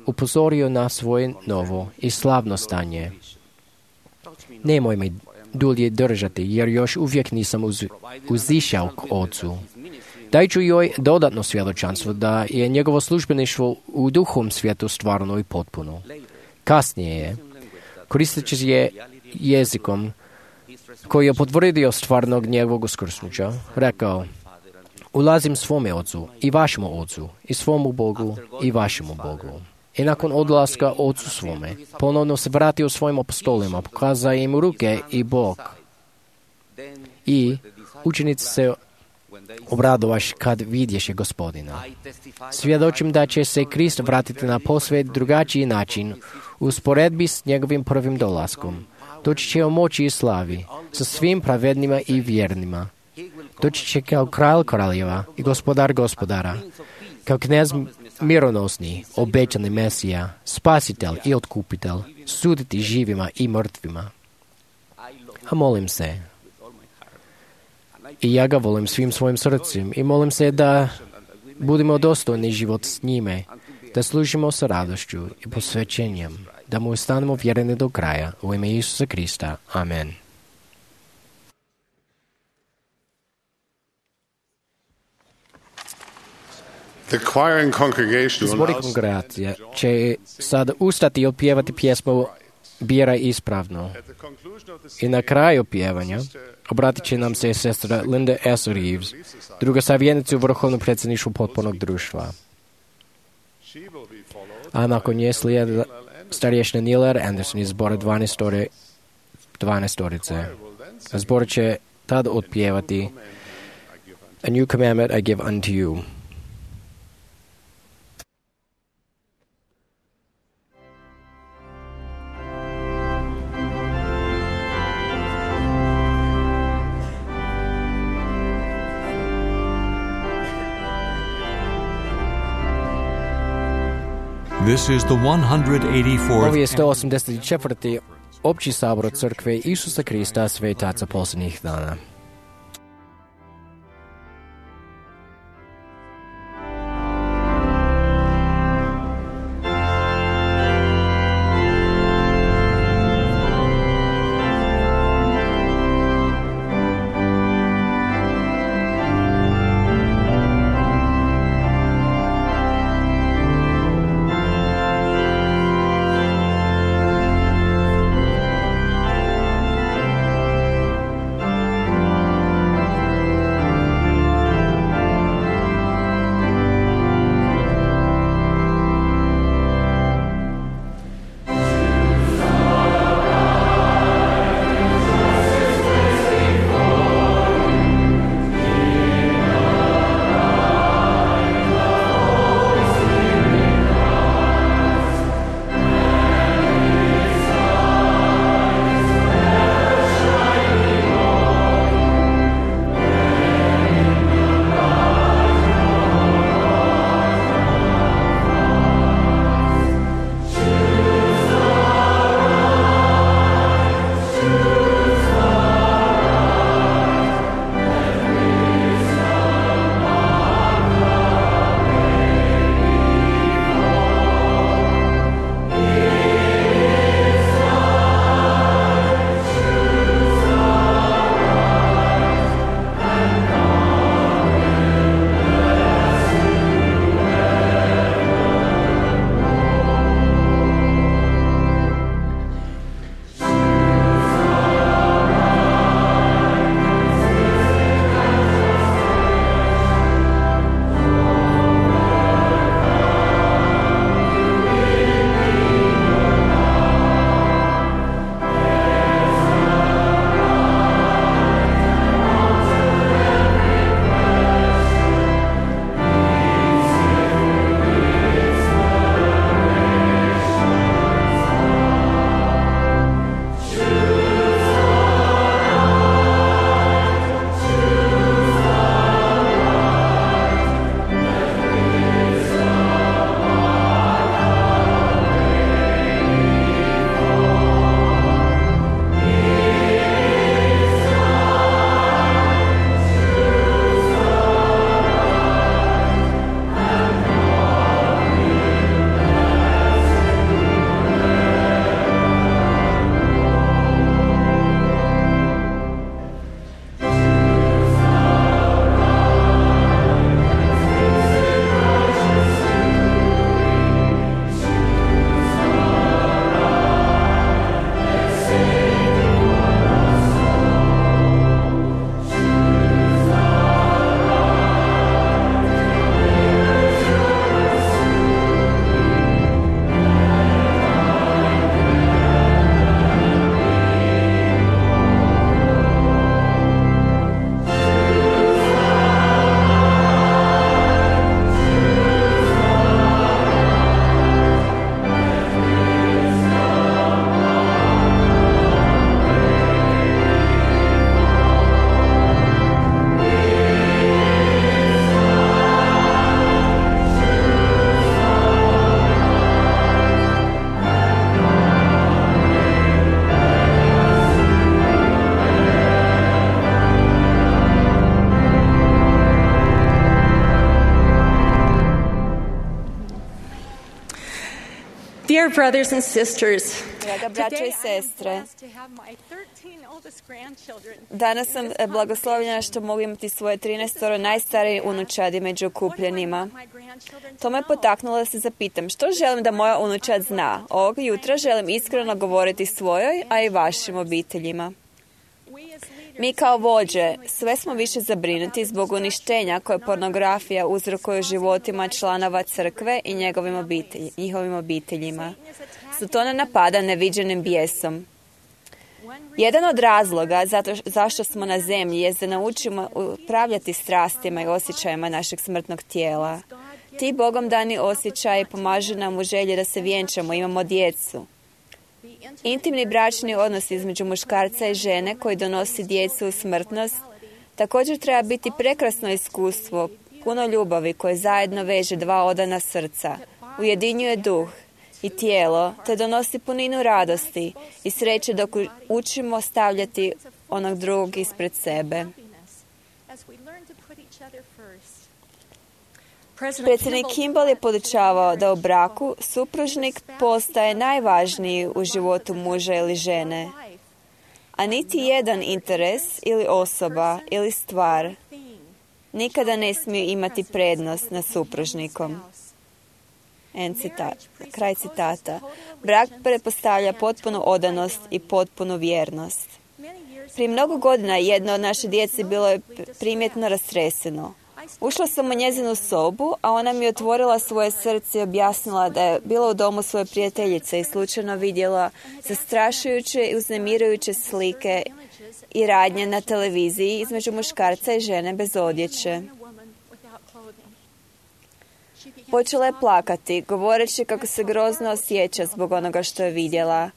upozorio na svoje novo i slavno stanje. Nemoj me dulje držati, jer još uvijek nisam uz, uzišao k Ocu. Daj ću joj dodatno svjedočanstvo da je njegovo službeništvo u duhom svijetu stvarno i potpuno. Kasnije je, koristeći je jezikom koji je potvrdio stvarnog njegovog uskrsnuća, rekao: ulazim svome Ocu i vašemu Ocu, i svomu Bogu i vašemu Bogu. I nakon odlaska Ocu svome, ponovno se vratio svojim apostolima, pokazao im ruke i bok. I učenici se obradovaš kad vidješe Gospodina. Svjedočim da će se Krist vratiti na posve drugačiji način, u usporedbi s njegovim prvim dolaskom. Doći će u moći i slavi, sa svim pravednima i vjernima. Doći će kao kralj kraljeva i gospodar gospodara, kao knez mironosni, obećani Mesija, spasitelj i otkupitelj, suditi živima i mrtvima. A molim se, i ja ga volim svim svojim srcem, i molim se da budemo dostojni život s njime, da služimo sa radošću i posvećenjem, da mu ostanemo vjereni do kraja, u ime Isusa Krista. Amen. Zbori kongregacije će sad ustati i opjevati pjesmu Biraj ispravno. I na kraju pjevanja obratit će nam se sestra Linda S. Reeves, druga savjetnica u vrhovnom predsjedništvu potpornog društva. A nakon nje slijede starješna Neil R. Anderson iz zbora dvanaestorice. Zbor će tad otpjevati A new commandment I give unto you.
This is the one hundred eighty-fourth.
Ovo je sto osamdeset četvrti opći sabor crkve Isusa Krista svetaca posljednjih dana.
Dear brothers and sisters,
Draga braćo i
today I am
sestre,
blessed to have my thirteen oldest grandchildren.
danas sam e, blagoslovljena što mogu imati svoje trinaestoro najstarije unučadi među okupljenima. To me potaknulo da se zapitam što želim da moja unučad zna. Ovog jutra želim iskreno govoriti svojoj, a i vašim obiteljima. Mi kao vođe sve smo više zabrinuti zbog uništenja koje pornografija uzrokuje u životima članova crkve i njegovim obitelji, njihovim obiteljima. Satana napada neviđenim bijesom. Jedan od razloga zato, zašto smo na zemlji je da naučimo upravljati strastima i osjećajima našeg smrtnog tijela. Ti Bogom dani osjećaji pomažu nam u želji da se vjenčamo, imamo djecu. Intimni bračni odnos između muškarca i žene koji donosi djecu u smrtnost također treba biti prekrasno iskustvo, puno ljubavi koje zajedno veže dva odana srca, ujedinjuje duh i tijelo, te donosi puninu radosti i sreće dok učimo stavljati onog drugog ispred sebe. Predsjednik Kimball je podučavao da u braku supružnik postaje najvažniji u životu muža ili žene, a niti jedan interes ili osoba ili stvar nikada ne smije imati prednost nad supružnikom. En citat, kraj citata. Brak pretpostavlja potpunu odanost i potpunu vjernost. Prije mnogo godina jedno od naše djece bilo je primjetno rastreseno. Ušla sam u njezinu sobu, a ona mi je otvorila svoje srce i objasnila da je bila u domu svoje prijateljice i slučajno vidjela zastrašujuće i uznemirujuće slike i radnje na televiziji između muškarca i žene bez odjeće. Počela je plakati, govoreći kako se grozno osjeća zbog onoga što je vidjela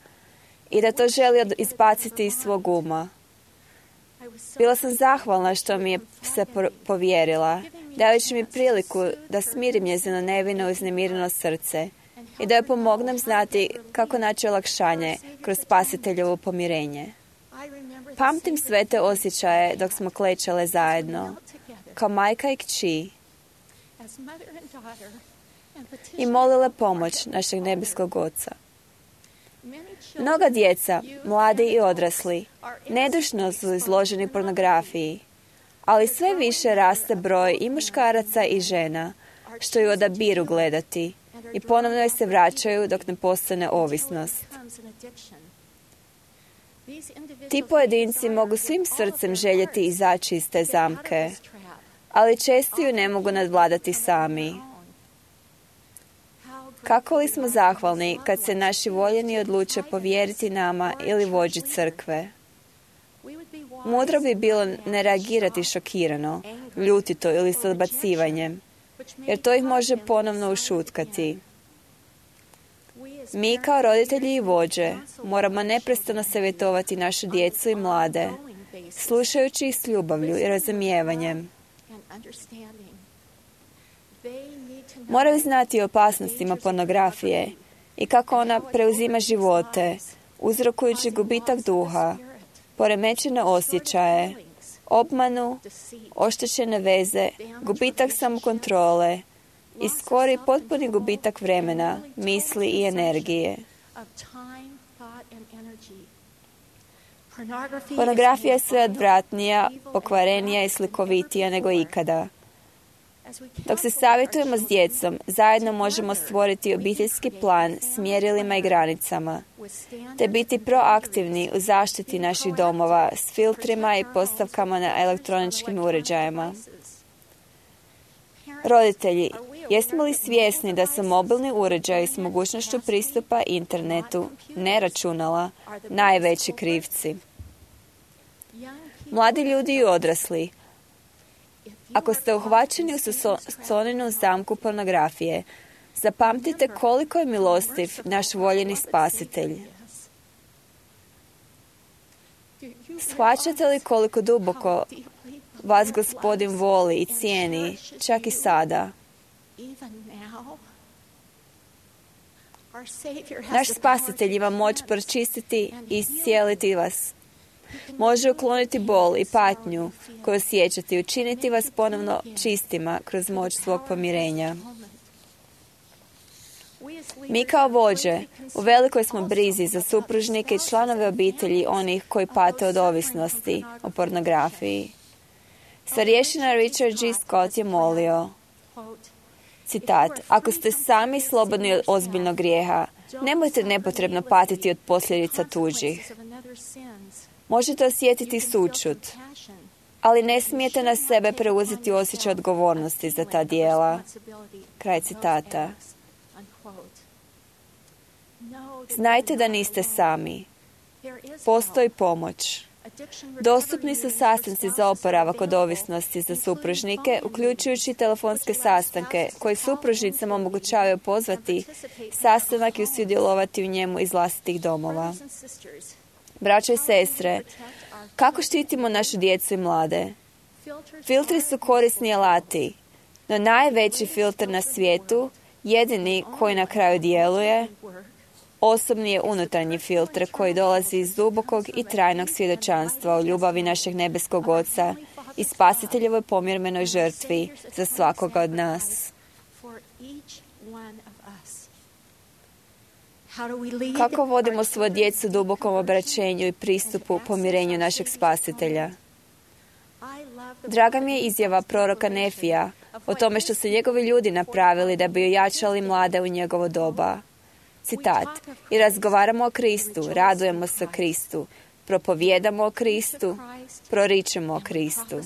i da to želi izbaciti iz svog uma. Bila sam zahvalna što mi je se povjerila, dajući mi priliku da smirim njezino nevino i uznemireno srce i da joj pomognem znati kako naći olakšanje kroz spasiteljovo pomirenje. Pamtim sve te osjećaje dok smo klečale zajedno, kao majka i kći, i molile pomoć našeg nebeskog Oca. Mnoga djeca, mladi i odrasli, nedušno su izloženi pornografiji, ali sve više raste broj i muškaraca i žena što ju odabiru gledati i ponovno joj se vraćaju dok ne postane ovisnost. Ti pojedinci mogu svim srcem željeti izaći iz te zamke, ali često ju ne mogu nadvladati sami. Kako li smo zahvalni kad se naši voljeni odluče povjeriti nama ili vođi crkve? Mudro bi bilo ne reagirati šokirano, ljutito ili s odbacivanjem, jer to ih može ponovno ušutkati. Mi kao roditelji i vođe moramo neprestano savjetovati našu djecu i mlade, slušajući ih s ljubavlju i razumijevanjem. Moraju znati o opasnostima pornografije i kako ona preuzima živote, uzrokujući gubitak duha, poremećene osjećaje, obmanu, oštećene veze, gubitak samokontrole i skori potpuni gubitak vremena, misli i energije. Pornografija je sve odvratnija, pokvarenija i slikovitija nego ikada. Dok se savjetujemo s djecom, zajedno možemo stvoriti obiteljski plan s mjerilima i granicama, te biti proaktivni u zaštiti naših domova s filtrima i postavkama na elektroničkim uređajima. Roditelji, jesmo li svjesni da su mobilni uređaji s mogućnošću pristupa internetu, ne računala, najveći krivci? Mladi ljudi i odrasli, ako ste uhvaćeni u Soninu zamku pornografije, zapamtite koliko je milostiv naš voljeni spasitelj. Shvaćate li koliko duboko vas Gospodin voli i cijeni, čak i sada? Naš spasitelj ima moć pročistiti i iscijeliti vas. Može ukloniti bol i patnju koju osjećate i učiniti vas ponovno čistima kroz moć svog pomirenja. Mi kao vođe u velikoj smo brizi za supružnike i članove obitelji onih koji pate od ovisnosti o pornografiji. Starješina Richard G. Scott je molio, citat, ako ste sami slobodni od ozbiljnog grijeha, nemojte nepotrebno patiti od posljedica tuđih. Možete osjetiti sućut, ali ne smijete na sebe preuzeti osjećaj odgovornosti za ta dijela. Kraj citata. Znajte da niste sami. Postoji pomoć. Dostupni su sastanci za oporavak od ovisnosti za supružnike, uključujući telefonske sastanke koji supružnicama omogućavaju pozvati sastanak i sudjelovati u njemu iz vlastitih domova. Braćo i sestre, kako štitimo našu djecu i mlade? Filtri su korisni alati, no najveći filter na svijetu, jedini koji na kraju djeluje, osobni je unutarnji filtr koji dolazi iz dubokog i trajnog svjedočanstva o ljubavi našeg nebeskog Oca i Spasiteljevoj pomirmenoj žrtvi za svakoga od nas. Kako vodimo svoju djecu dubokom obraćenju i pristupu pomirenju našeg Spasitelja? Draga mi je izjava proroka Nefija o tome što su njegovi ljudi napravili da bi ojačali mlade u njegovo doba. Citat, i razgovaramo o Kristu, radujemo se o Kristu, propovijedamo o Kristu, proričemo o Kristu.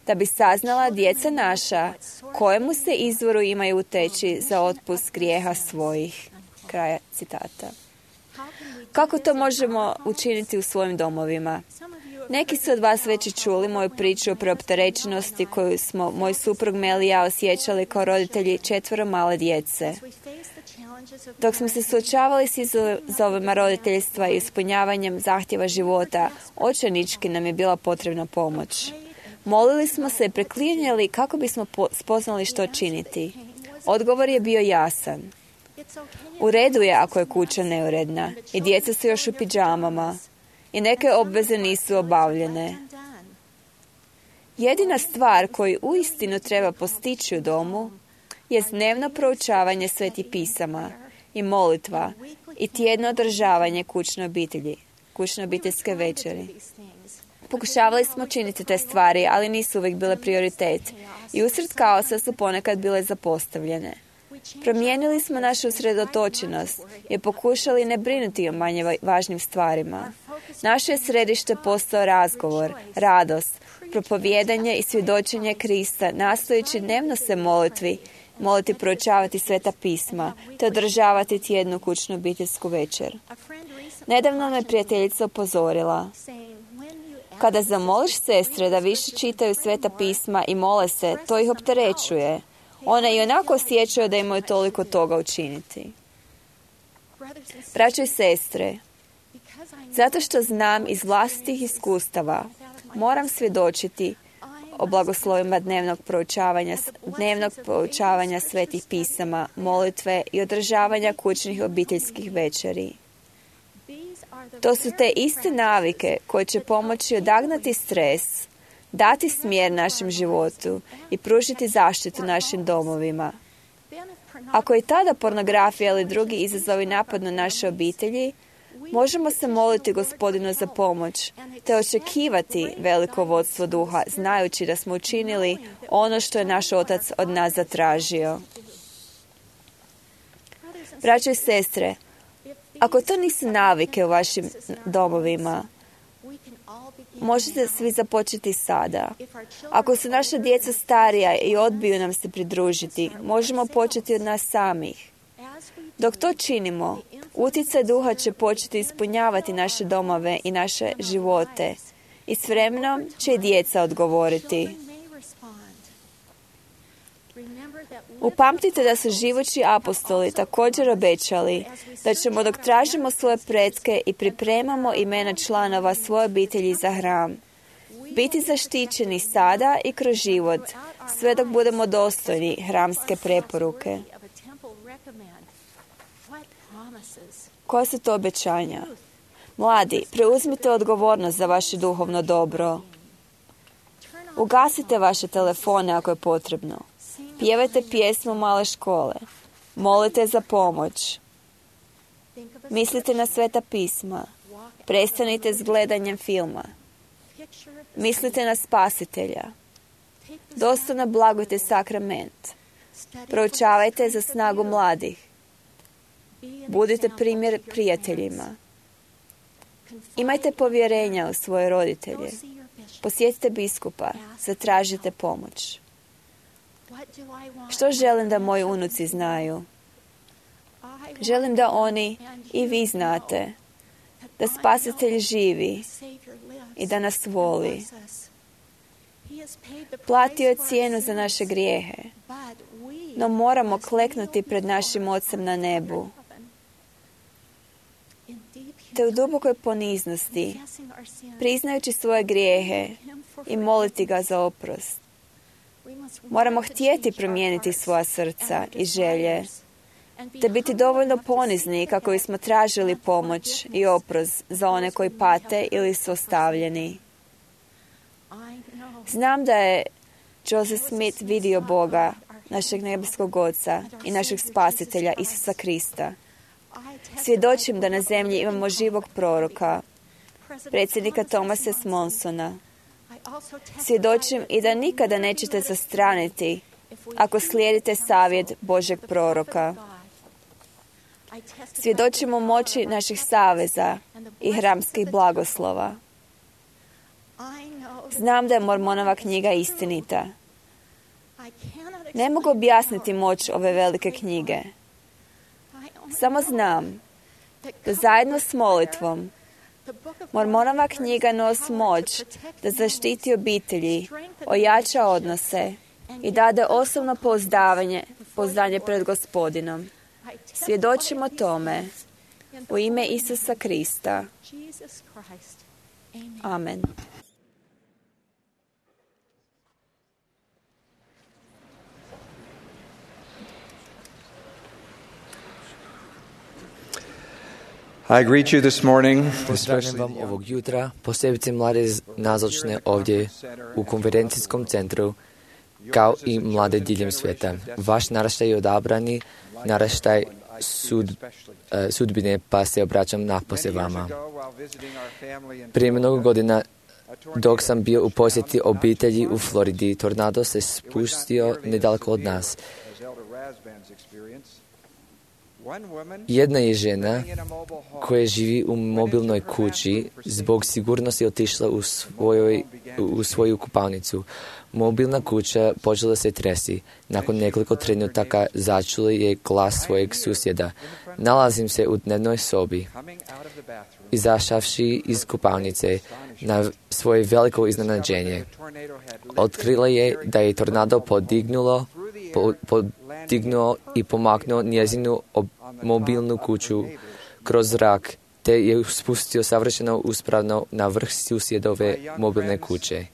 Da bi saznala djeca naša kojemu se izvoru imaju uteći za otpust grijeha svojih. Kraja citata. Kako to možemo učiniti u svojim domovima? Neki su od vas već i čuli moju priču o preopterećenosti koju smo moj suprug Mel i ja osjećali kao roditelji četvoro male djece. Dok smo se suočavali s izazovima roditeljstva i ispunjavanjem zahtjeva života, očajnički nam je bila potrebna pomoć. Molili smo se i preklinjali kako bismo spoznali što činiti. Odgovor je bio jasan. U redu je ako je kuća neuredna i djeca su još u pidžamama i neke obveze nisu obavljene. Jedina stvar koju uistinu treba postići u domu je dnevno proučavanje svetih pisama i molitva i tjedno održavanje kućne obitelji, kućne obiteljske večeri. Pokušavali smo činiti te stvari, ali nisu uvijek bile prioritet i usred kaosa su ponekad bile zapostavljene. Promijenili smo našu usredotočenost i pokušali ne brinuti o manje važnim stvarima. Naše je središte postao razgovor, radost, propovijedanje i svjedočenje Krista, nastojeći dnevno se molitvi, moliti proučavati sveta pisma, te održavati tjednu kućnu obiteljsku večer. Nedavno me prijateljica upozorila. Kada zamoliš sestre da više čitaju sveta pisma i mole se, to ih opterećuje. One i onako osjećaju da imaju toliko toga učiniti. Braćo i sestre, zato što znam iz vlastitih iskustava, moram svjedočiti o blagoslovima dnevnog proučavanja, dnevnog proučavanja svetih pisama, molitve i održavanja kućnih obiteljskih večeri. To su te iste navike koje će pomoći odagnati stres, dati smjer našem životu i pružiti zaštitu našim domovima. Ako i tada pornografija ili drugi izazovi napadnu naše obitelji, možemo se moliti Gospodinu za pomoć, te očekivati veliko vodstvo duha, znajući da smo učinili ono što je naš Otac od nas zatražio. Braćo i sestre, ako to nisu navike u vašim domovima, možete svi započeti sada. Ako su naša djeca starija i odbiju nam se pridružiti, možemo početi od nas samih. Dok to činimo, utjecaj duha će početi ispunjavati naše domove i naše živote i s vremenom će i djeca odgovoriti. Upamtite da su živući apostoli također obećali da ćemo dok tražimo svoje pretke i pripremamo imena članova svoje obitelji za hram, biti zaštićeni sada i kroz život, sve dok budemo dostojni hramske preporuke. Koja su to obećanja? Mladi, preuzmite odgovornost za vaše duhovno dobro. Ugasite vaše telefone ako je potrebno. Pjevajte pjesmu male škole. Molite za pomoć. Mislite na Sveta pisma. Prestanite s gledanjem filma. Mislite na Spasitelja. Dostojno blagujte sakrament. Proučavajte za snagu mladih. Budite primjer prijateljima. Imajte povjerenja u svoje roditelje. Posjetite biskupa. Zatražite pomoć. Što želim da moji unuci znaju? Želim da oni i vi znate da Spasitelj živi i da nas voli. Platio je cijenu za naše grijehe, no moramo kleknuti pred našim Ocem na nebu. Te u dubokoj poniznosti, priznajući svoje grijehe i moliti ga za oprost. Moramo htjeti promijeniti svoja srca i želje, te biti dovoljno ponizni kako bismo tražili pomoć i oprost za one koji pate ili su ostavljeni. Znam da je Joseph Smith vidio Boga, našeg nebeskog Oca i našeg Spasitelja Isusa Krista. Svjedočim da na zemlji imamo živog proroka, predsjednika Thomasa S. Monsona. Svjedočim i da nikada nećete zastraniti ako slijedite savjet Božeg proroka. Svjedočimo moći naših saveza i hramskih blagoslova. Znam da je Mormonova knjiga istinita. Ne mogu objasniti moć ove velike knjige. Samo znam da zajedno s molitvom Mormonova knjiga nosi moć da zaštiti obitelji, ojača odnose i dade osobno pouzdavanje, pouzdanje pred Gospodinom. Svjedočimo tome u ime Isusa Krista. Amen.
I greet you this morning,
Pozdravljam vam ovog jutra, posebice mlade nazočne ovdje u konferencijskom centru, kao i mlade diljem svijeta. Vaš naraštaj je odabrani, naraštaj sud, sudbine, pa se obraćam napose vama. Prije mnogo godina, dok sam bio u posjeti obitelji u Floridi, tornado se spustio nedaleko od nas. Jedna je žena koja živi u mobilnoj kući, zbog sigurnosti otišla u, svojoj, u svoju kupalnicu. Mobilna kuća počela se tresi. Nakon nekoliko trenutaka začula je glas svojeg susjeda. Nalazim se u dnevnoj sobi. Izašavši iz kupalnice, na svoje veliko iznenađenje, otkrila je da je tornado podignulo, po, podignuo i pomaknuo njezinu ob, mobilnu kuću kroz zrak, te je spustio savršeno uspravno na vrh susjedove mobilne kuće.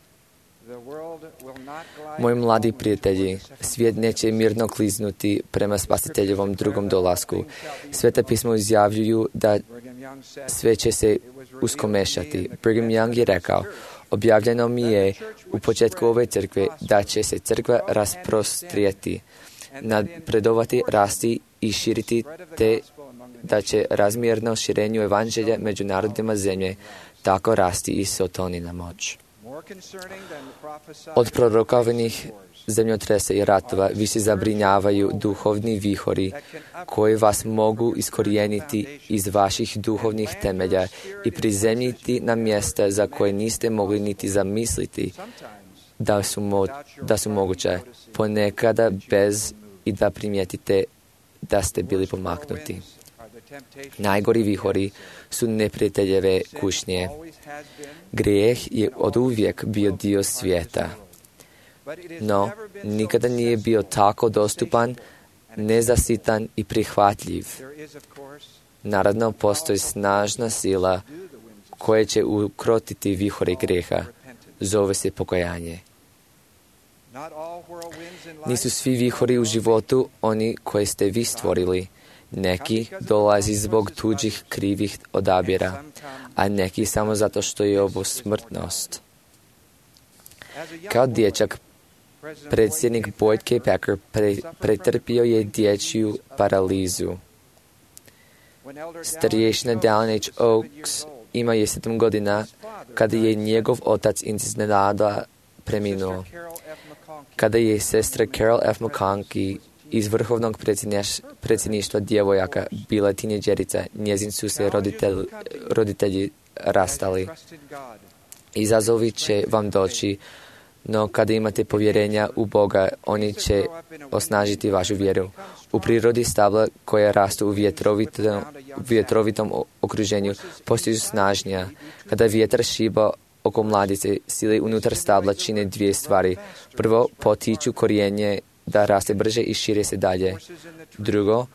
Moji mladi prijatelji, svijet neće mirno kliznuti prema Spasiteljevom drugom dolasku. Sveta pismo izjavljuju da sve će se uskomešati. Brigham Young je rekao, objavljeno mi je u početku ove crkve da će se crkva rasprostrijeti, napredovati, rasti i širiti, te da će razmjerno širenju evanđelja među narodima zemlje tako rasti i sotonina moć. Od prorokovanih zemljotresa i ratova više zabrinjavaju duhovni vihori koji vas mogu iskorijeniti iz vaših duhovnih temelja i prizemljiti na mjesta za koje niste mogli niti zamisliti da su, mo- da su moguće, ponekada bez i da primijetite da ste bili pomaknuti. Najgori vihori su neprijateljeve kušnje. Grijeh je oduvijek bio dio svijeta, no nikada nije bio tako dostupan, nezasitan i prihvatljiv. Naravno, postoji snažna sila koja će ukrotiti vihore grijeha. Zove se pokajanje. Nisu svi vihori u životu oni koje ste vi stvorili. Neki dolazi zbog tuđih krivih odabira, a neki samo zato što je ovo smrtnost. Kao dječak Predsjednik Boyd K. Packer pre, pretrpio je dječju paralizu. Starješina Dallin H. Oaks ima je sedam godina kada je njegov otac iznenada preminuo. Kada je sestra Carol F. McConkie iz vrhovnog predsjedništva djevojaka bila tineđerica, njezin su se roditelj, roditelji rastali. Izazovi će vam doći, no kada imate povjerenja u Boga, oni će osnažiti vašu vjeru. U prirodi stabla koja rastu u vjetrovitom, vjetrovitom okruženju postaju snažnija. Kada vjetar šiba oko mladice, sile unutar stabla čine dvije stvari. Prvo, potiču korijenje da raste brže i šire se dalje. Drugo,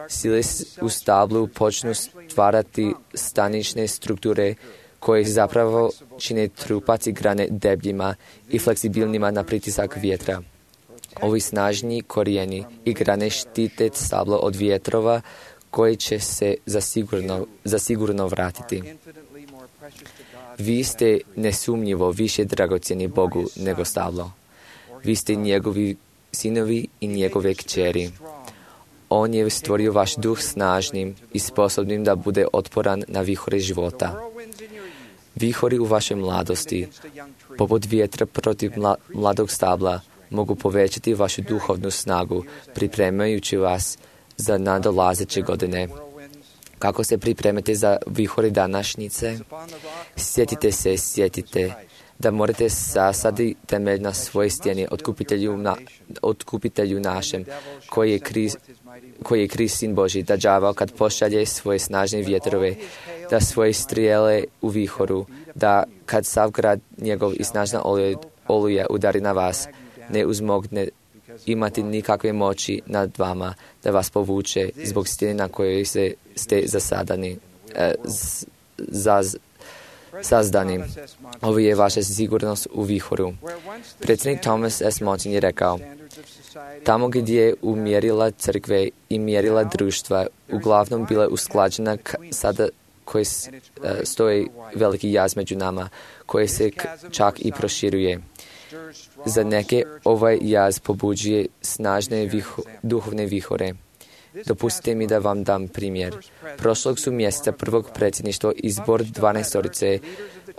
sile u stablu počnu stvarati stanične strukture koje zapravo čine trupac i grane debljima i fleksibilnima na pritisak vjetra. Ovi snažni korijeni i grane štite stablo od vjetrova koji će se zasigurno, zasigurno vratiti. Vi ste nesumnjivo više dragocjeni Bogu nego stablo. Vi ste njegovi sinovi i njegove kćeri. On je stvorio vaš duh snažnim i sposobnim da bude otporan na vihore života. Vihori u vašoj mladosti, poput vjetra protiv mla, mladog stabla, mogu povećati vašu duhovnu snagu, pripremajući vas za nadolazeće godine. Kako se pripremate za vihore današnjice? Sjetite se, sjetite da morate sasaditi temelj na svoje stijeni otkupitelju, na, otkupitelju našem, koji je Krist, koji je Krist sin Božji, da đavao kad pošalje svoje snažne vjetrove, da svoje strijele u vihoru, da kad sav grad njegov i snažna oluja udari na vas, ne uzmogne imati nikakve moći nad vama, da vas povuče zbog stijene na kojoj se ste zasadani, e, z, zaz, sazdani. Ovo je vaša sigurnost u vihoru. Predsjednik Thomas S. Monson je rekao, tamo gdje je umjerila crkve i mjerila društva, uglavnom bila usklađena k- sada koji stoji veliki jaz među nama, koji se k- čak i proširuje. Za neke ovaj jaz pobuđuje snažne viho, duhovne vihore. Dopustite mi da vam dam primjer. Prošlog su mjeseca prvog predsjedništva izbor dvanaestorice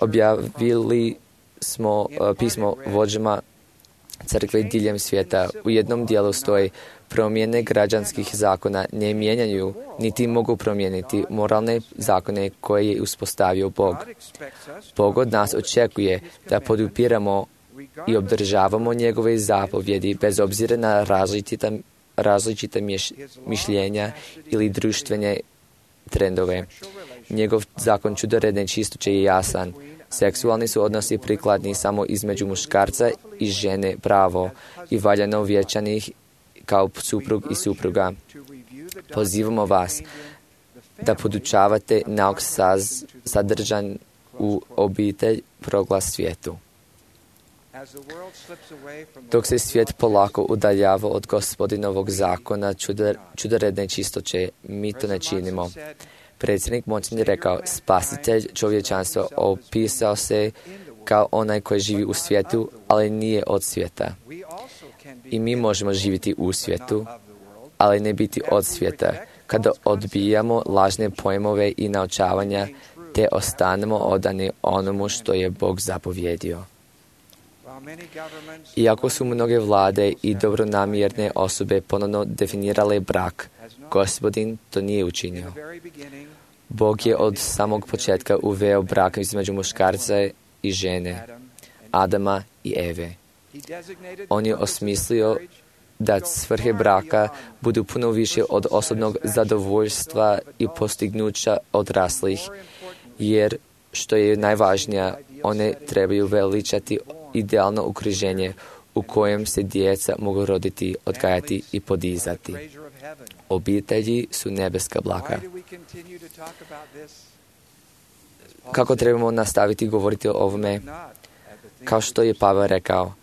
objavili smo uh, pismo vođama crkve diljem svijeta. U jednom dijelu stoji promjene građanskih zakona ne mijenjaju niti mogu promijeniti moralne zakone koje je uspostavio Bog. Bog od nas očekuje da podupiramo i obdržavamo njegove zapovjedi bez obzira na različita, različita miš, mišljenja ili društvene trendove. Njegov zakon čudoredne čistoće je jasan. Seksualni su odnosi prikladni samo između muškarca i žene pravo i valjano vječanih kao suprug i supruga. Pozivamo vas da podučavate nauk saz, sadržan u obitelj proglas svijetu. Dok se svijet polako udaljava od Gospodinovog zakona čudor, čudoredne čistoće, mi to ne činimo. Predsjednik Monson je rekao, spasitelj čovječanstva opisao se kao onaj koji živi u svijetu, ali nije od svijeta. I mi možemo živjeti u svijetu, ali ne biti od svijeta, kada odbijamo lažne pojmove i naučavanja, te ostanemo odani onomu što je Bog zapovjedio. Iako su mnoge vlade i dobronamjerne osobe ponovno definirale brak, Gospodin to nije učinio. Bog je od samog početka uveo brak između muškarca i žene, Adama i Eve. On je osmislio da svrhe braka budu puno više od osobnog zadovoljstva i postignuća odraslih, jer što je najvažnije, one trebaju veličati idealno okruženje u kojem se djeca mogu roditi, odgajati i podizati. Obitelji su nebeska blaka. Kako trebamo nastaviti govoriti o ovome? Kao što je Pavel rekao,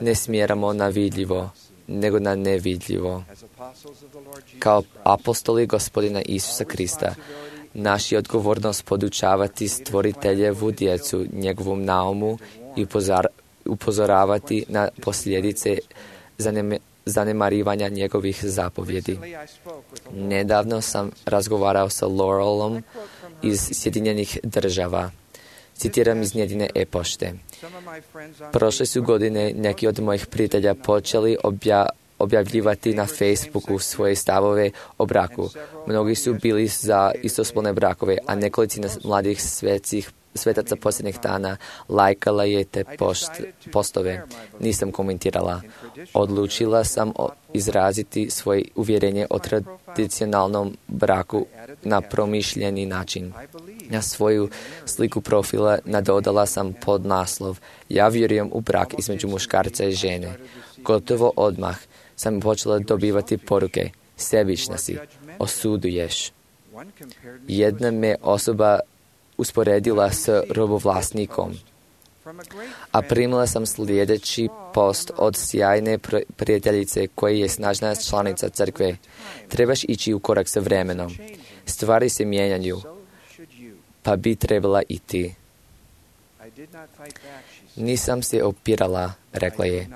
ne smjeramo na vidljivo, nego na nevidljivo. Kao apostoli Gospodina Isusa Krista, naš je odgovornost podučavati stvoriteljevu djecu, njegovom naumu i upozoravati na posljedice zaneme, zanemarivanja njegovih zapovjedi. Nedavno sam razgovarao sa Laurelom iz Sjedinjenih država. Citiram iz njezine e-pošte. Prošle su godine neki od mojih prijatelja počeli obja, objavljivati na Facebooku svoje stavove o braku. Mnogi su bili za istospolne brakove, a nekolicina mladih svetskih svetaca posljednjih dana lajkala je te post, postove. Nisam komentirala. Odlučila sam izraziti svoje uvjerenje o tradicionalnom braku na promišljeni način. Na svoju sliku profila nadodala sam podnaslov: Ja vjerujem u brak između muškarca i žene. Gotovo odmah sam počela dobivati poruke: sebična si, osuduješ. Jedna me osoba usporedila s robovlasnikom. A primila sam sljedeći post od sjajne prijateljice koja je snažna članica crkve. Trebaš ići u korak sa vremenom. Stvari se mijenjaju, pa bi trebala i ti. Nisam se opirala, rekla je,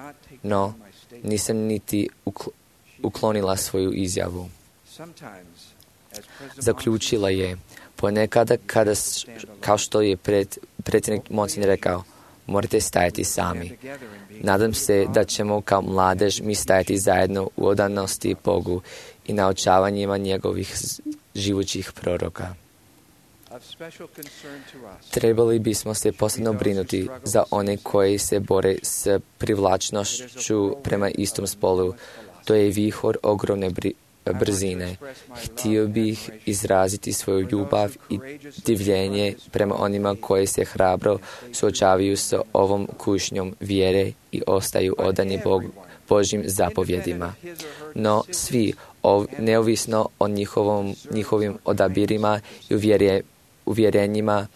no nisam niti uklonila svoju izjavu. Zaključila je: ponekada kada, kao što je pred, predsjednik Monson rekao, morate stajati sami. Nadam se da ćemo kao mladež mi stajati zajedno u odanosti Bogu i naučavanjima njegovih živućih proroka. Trebali bismo se posebno brinuti za one koji se bore s privlačnošću prema istom spolu. To je vihor ogromne bri- brzine. Htio bih izraziti svoju ljubav i divljenje prema onima koji se hrabro suočavaju s ovom kušnjom vjere i ostaju odani Bog, Božjim zapovjedima. No svi, ov, neovisno o njihovom, njihovim odabirima i uvjerje, uvjerenjima,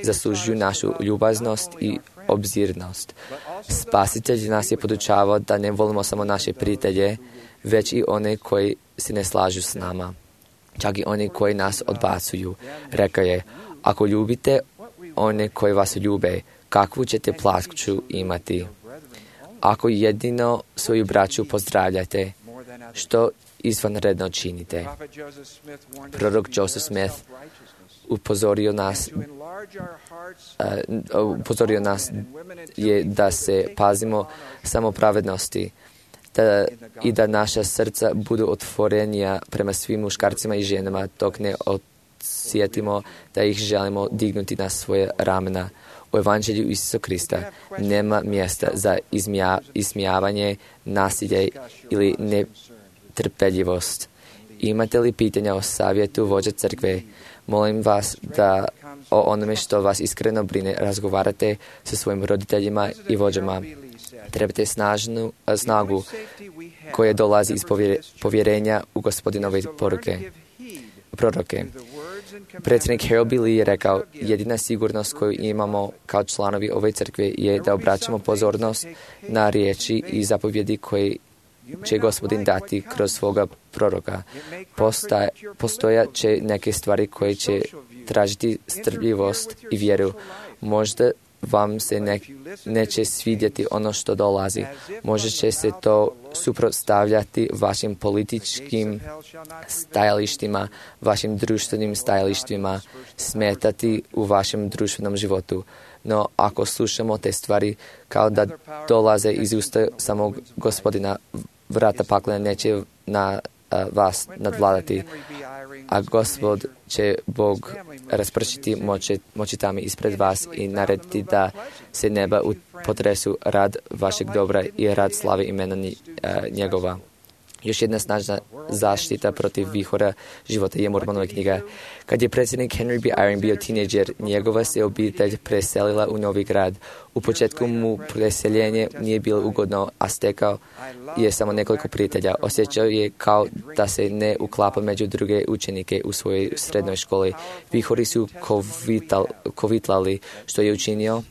zaslužuju našu ljubaznost i obzirnost. Spasitelj nas je podučavao da ne volimo samo naše prijatelje, već i one koji se ne slažu s nama, čak i one koji nas odbacuju. Rekao je: ako ljubite one koji vas ljube, kakvu ćete plaću imati? Ako jedino svoju braću pozdravljate, što izvanredno činite? Prorok Joseph Smith upozorio nas, uh, upozorio nas je da se pazimo samo pravednosti, Da, i da naša srca budu otvorenija prema svim muškarcima i ženama, dok ne osjetimo da ih želimo dignuti na svoje ramena. U Evanđelju Isusa Krista nema mjesta za izmija, ismijavanje, nasilje ili netrpeljivost. Imate li pitanja o savjetu vođa crkve? Molim vas da o onome što vas iskreno brine razgovarate sa svojim roditeljima i vođama. Trebate snažnu snagu koja dolazi iz povjerenja u Gospodinove poruke, proroke. Predsjednik Harold B. Lee je rekao: jedina sigurnost koju imamo kao članovi ove crkve je da obraćamo pozornost na riječi i zapovjedi koje će Gospodin dati kroz svoga proroka. Postoja, postojat će neke stvari koje će tražiti strpljivost i vjeru. Možda vam se ne, neće svidjeti ono što dolazi. Možda će se to suprotstavljati vašim političkim stajalištima, vašim društvenim stajalištima, smetati u vašem društvenom životu. No, ako slušamo te stvari kao da dolaze iz usta samog Gospodina, vrata pakla neće na a, vas nadvladati, a Gospod će Bog raspršiti moći, moćitami ispred vas i narediti da se neba potresu rad vašeg dobra i rad slave imena njegova. Još jedna snažna zaštita protiv vihora života je Mormonova knjiga. Kad je predsjednik Henry B. Eyring bio tineđer, njegova se obitelj preselila u novi grad. U početku mu preseljenje nije bilo ugodno, a stekao je samo nekoliko prijatelja. Osjećao je kao da se ne uklapa među druge učenike u svojoj srednjoj školi. Vihori su kovital, kovitlali, što je učinio.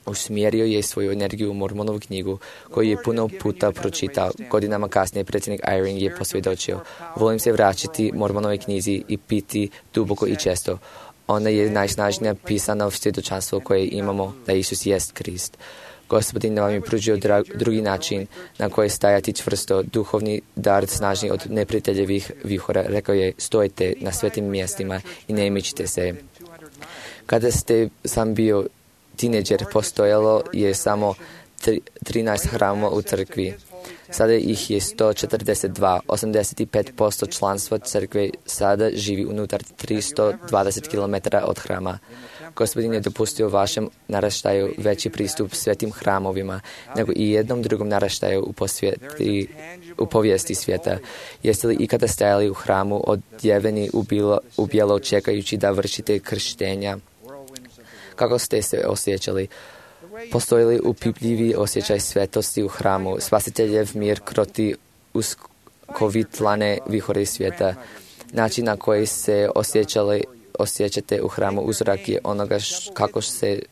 Usmjerio je svoju energiju u Mormonovu knjigu, koju je puno puta pročitao. Godinama kasnije predsjednik Eyring je posvjedočio: volim se vraćati Mormonove knjizi i piti duboko i često. Ona je najsnažnija pisana svjedočanstvo koje imamo da Isus jest Krist. Gospodin vam je pružio dra- drugi način na koji stajati čvrsto, duhovni dar snažni od neprijateljevih vihora. Rekao je, stojite na svetim mjestima i ne mičite se. Kada ste sam bio tineđer, postojalo je samo trinaest hramova u crkvi. Sada ih je sto četrdeset dva. osamdeset pet posto članstva crkve sada živi unutar tristo dvadeset kilometara od hrama. Gospodin je dopustio vašem naraštaju veći pristup svetim hramovima nego i jednom drugom naraštaju u, posvijeti, u povijesti svijeta. Jeste li ikada stajali u hramu odjeveni u, bilo, u bijelo čekajući da vršite krštenja? Kako ste se osjećali? Postoji li upipljivi osjećaj svetosti u hramu? Spasiteljev mir kroti uskovitlane vihore svijeta. Način na koji se osjećali osjećate u hramu uzorak je onoga š, kako se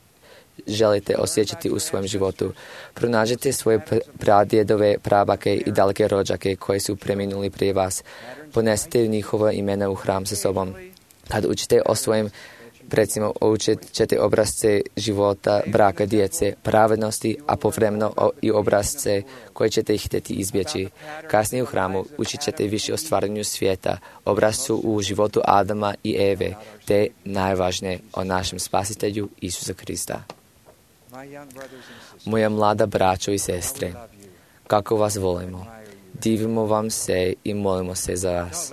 želite osjećati u svojem životu. Pronađite svoje pradjedove, prabake i daleke rođake koji su preminuli prije vas. Ponesite njihova imena u hram sa sobom. Kad učite o svojim predsima, učit ćete obrazce života, braka, djece, pravednosti, a povremeno i obrazce koje ćete ih htjeti izbjeći. Kasnije u hramu učit ćete više o stvaranju svijeta, obrazcu u životu Adama i Eve, te najvažnije o našem spasitelju Isusa Krista. Moja mlada braćo i sestre, kako vas volimo, divimo vam se i molimo se za vas.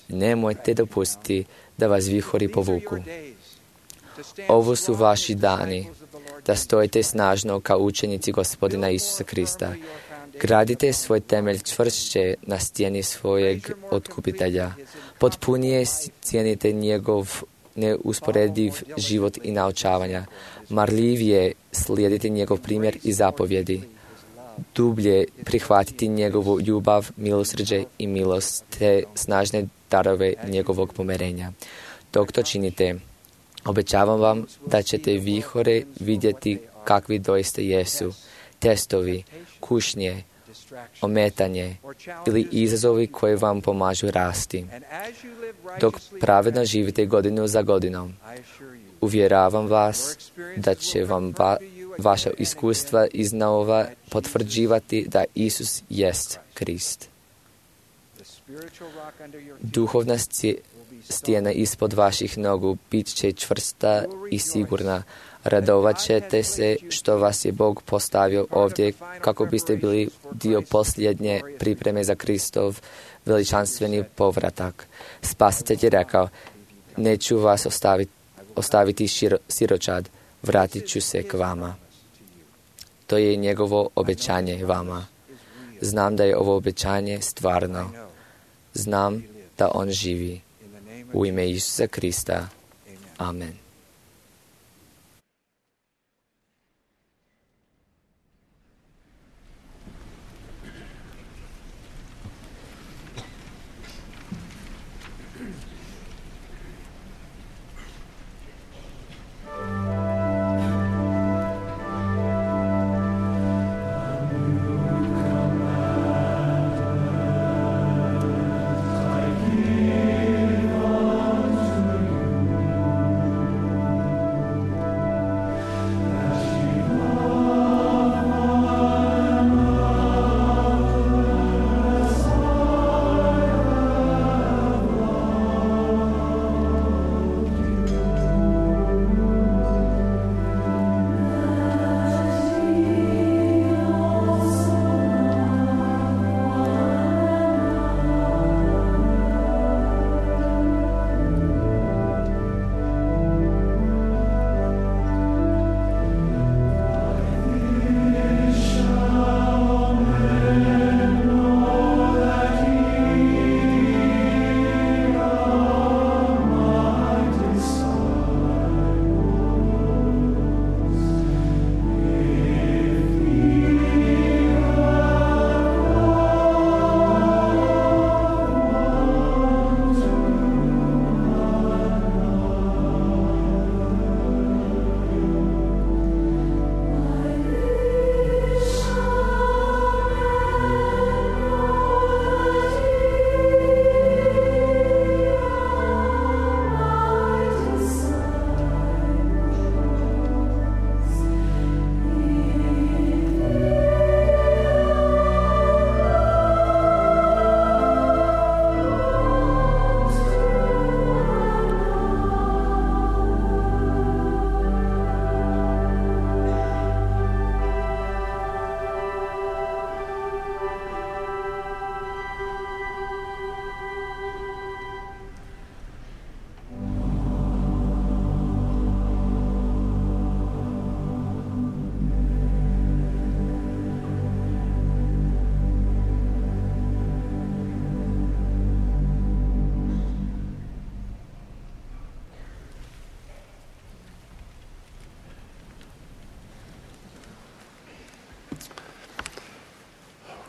Nemojte dopustiti da vas vihori povuku. Ovo su vaši dani, da stojite snažno kao učenici Gospodina Isusa Krista. Gradite svoj temelj čvršće na stijeni svojeg otkupitelja. Potpunije cijenite njegov neusporediv život i naučavanja. Marljivije slijedite njegov primjer i zapovjedi. Dublje prihvatiti njegovu ljubav, milosrđe i milost, te snažne darove njegovog pomirenja. Dok to činite, obećavam vam da ćete vihore vidjeti kakvi doista jesu, testovi, kušnje, ometanje ili izazovi koji vam pomažu rasti. Dok pravedno živite godinu za godinom, uvjeravam vas da će vam va, vaša iskustva iznova potvrđivati da Isus jest Krist. Duhovna stijena ispod vaših nogu bit će čvrsta i sigurna. Radovat ćete se što vas je Bog postavio ovdje kako biste bili dio posljednje pripreme za Kristov veličanstveni povratak. Spasitelj je rekao, neću vas ostaviti, ostaviti širo, siročad, vratit ću se k vama. To je njegovo obećanje vama. Znam da je ovo obećanje stvarno. Znam da on živi. U ime Isusa Krista. Amen.
Thank you.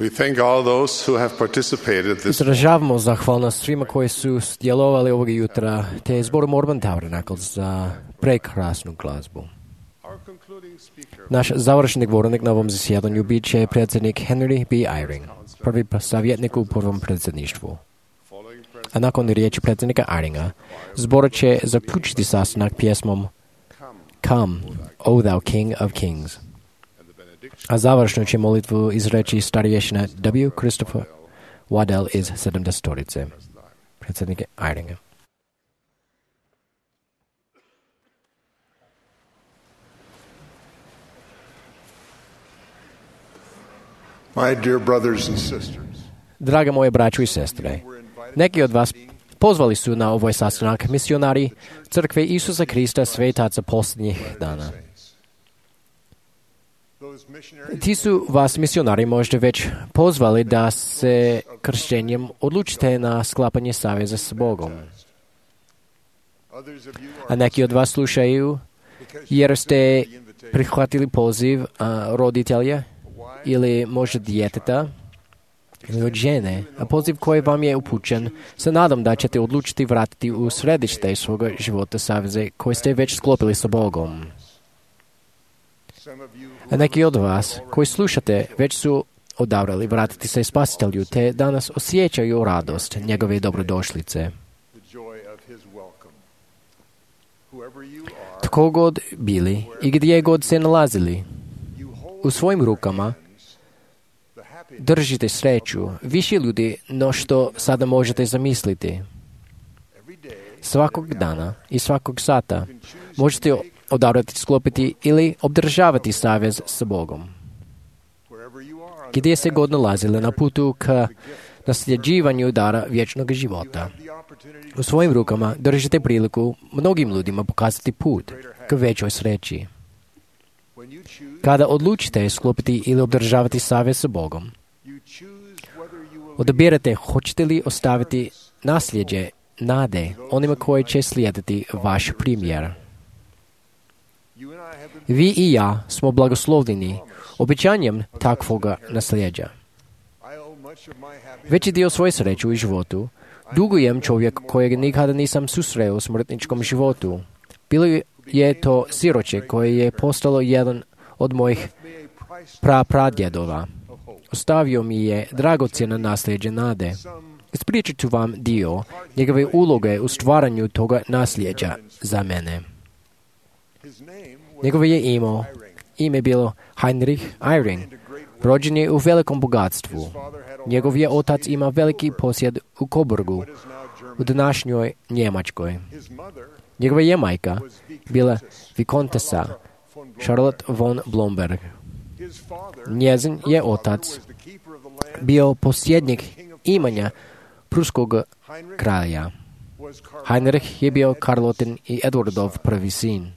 We thank all those who have participated this
Izražavamo zahvalnost svima koji su djelovali ovog jutra, te zboru Mormon Tabernacle za prekrasnu glazbu. Naš završni govornik na ovom zasjedanju bit će predsjednik Henry B. Eyring, prvi savjetnik u prvom predsjedništvu. A nakon riječi predsjednika Eyringa, zbor će zaključiti sastanak pjesmom Come, O thou King of Kings. A završno će molitvu izreći starješina W. Christopher Waddell iz sedamdesetorice, predsjednika Eyringa.
My dear brothers and sisters,
Draga moje braćo i sestre, neki od vas pozvali su na ovaj sastanak misionari Crkve Isusa Krista svetaca posljednjih dana. Ti su vas misionari možda već pozvali da se kršćenjem odlučite na sklapanje saveza s Bogom. A neki od vas slušaju jer ste prihvatili poziv a, roditelja ili možda djeteta ili od žene, a poziv koji vam je upućen, se nadam da ćete odlučiti vratiti u središte svoga života saveze koji ste već sklopili sa Bogom. A neki od vas koji slušate već su odabrali vratiti se Spasitelju, te danas osjećaju radost njegove dobrodošlice. Tko god bili i gdje god se nalazili, u svojim rukama držite sreću više ljudi no što sada možete zamisliti. Svakog dana i svakog sata možete odabrati, sklopiti ili obdržavati savez s Bogom. Gdje se god nalazili na putu ka nasljeđivanju dara vječnog života. U svojim rukama držite priliku mnogim ljudima pokazati put k većoj sreći. Kada odlučite sklopiti ili obdržavati savez s Bogom, odabirate hoćete li ostaviti nasljeđe nade onima koji će slijediti vaš primjer. Vi i ja smo blagoslovljeni obećanjem takvoga nasljeđa. Veći dio svoje sreće u životu dugujem čovjek kojeg nikada nisam susreo u smrtničkom životu. Bilo je to siroče koje je postalo jedan od mojih prapradjedova. Ostavio mi je dragocjeno nasljeđe nade. Ispričat ću vam dio njegove uloge u stvaranju toga nasljeđa za mene. Njegovo je imao, ime bilo Heinrich Eyring. Rođen je u velikom bogatstvu. Njegov je otac ima veliki posjed u Coburgu, u današnjoj Njemačkoj. Njegova je majka bila Vikontesa Charlotte von Blomberg. Njezin je otac bio posjednik imanja pruskog kralja. Heinrich je bio Karlotin i Edwardov prvi sin.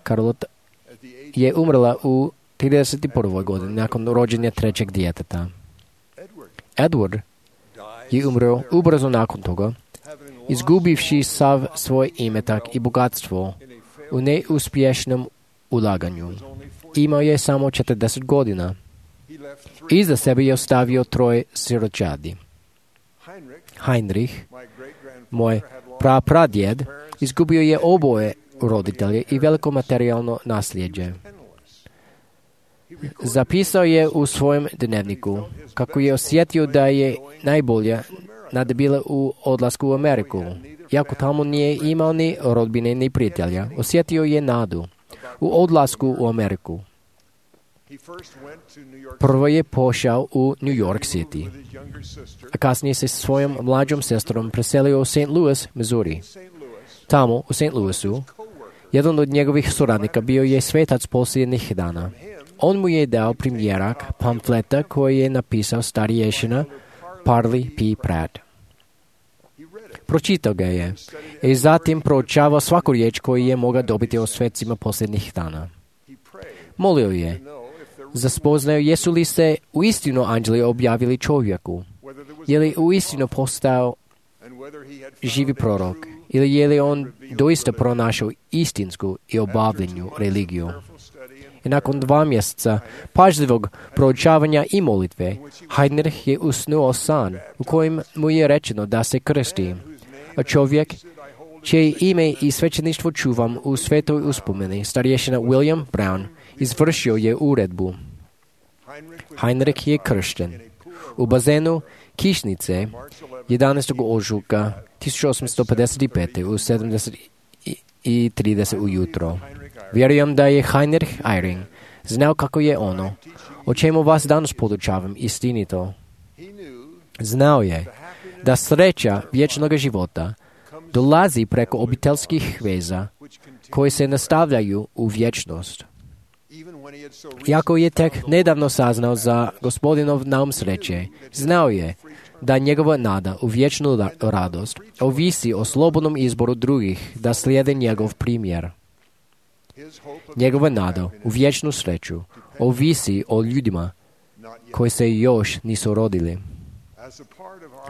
Karlota je umrla u trideset prvoj godini nakon rođenja trećeg djeteta. Edward je umro ubrzo nakon toga, izgubivši sav svoj imetak i bogatstvo u neuspješnom ulaganju. Imao je samo četrdeset godina. Iza sebe je ostavio troje siročadi. Heinrich, moj prapradjed, izgubio je oboje roditelje i veliko materijalno nasljeđe. Zapisao je u svojem dnevniku kako je osjetio da je najbolja nada bila u odlasku u Ameriku. Iako tamo nije imao ni rodbine ni prijatelja, osjetio je nadu u odlasku u Ameriku. Prvo je pošao u New York City, a kasnije se s svojom mlađom sestrom preselio u Saint Louis, Missouri. Tamo, u Saint Louisu, jedan od njegovih suradnika bio je svetac posljednjih dana. On mu je dao primjerak pamfleta koji je napisao starješina Parley P. Pratt. Pročitao ga je i zatim proučavao svaku riječ koju je mogao dobiti o svecima posljednjih dana. Molio je za spoznaju jesu li se uistinu anđeli objavili čovjeku, je li uistinu postao živi prorok, ili je li on doista pronašao istinsku i obavljenju religiju. I nakon dva mjeseca pažljivog proučavanja i molitve, Heinrich je usnuo san u kojem mu je rečeno da se krsti. A čovjek, čije ime i svećeništvo čuvam u svetoj uspomeni, starješina William Brown, izvršio je uredbu. Heinrich je kršten u bazenu Kišnice jedanaestog ožujka tisuću osamsto pedeset pet. u sedamdeset i trideset ujutro. Vjerujem da je Heinrich Eyring znao kako je ono, o čemu vas danas podučavam, istinito. Znao je da sreća vječnog života dolazi preko obiteljskih veza koje se nastavljaju u vječnost. Iako je tek nedavno saznao za gospodinov naum sreće, znao je da njegova nada u vječnu radost ovisi o slobodnom izboru drugih da slijede njegov primjer. Njegova nada u vječnu sreću ovisi o ljudima koji se još nisu rodili.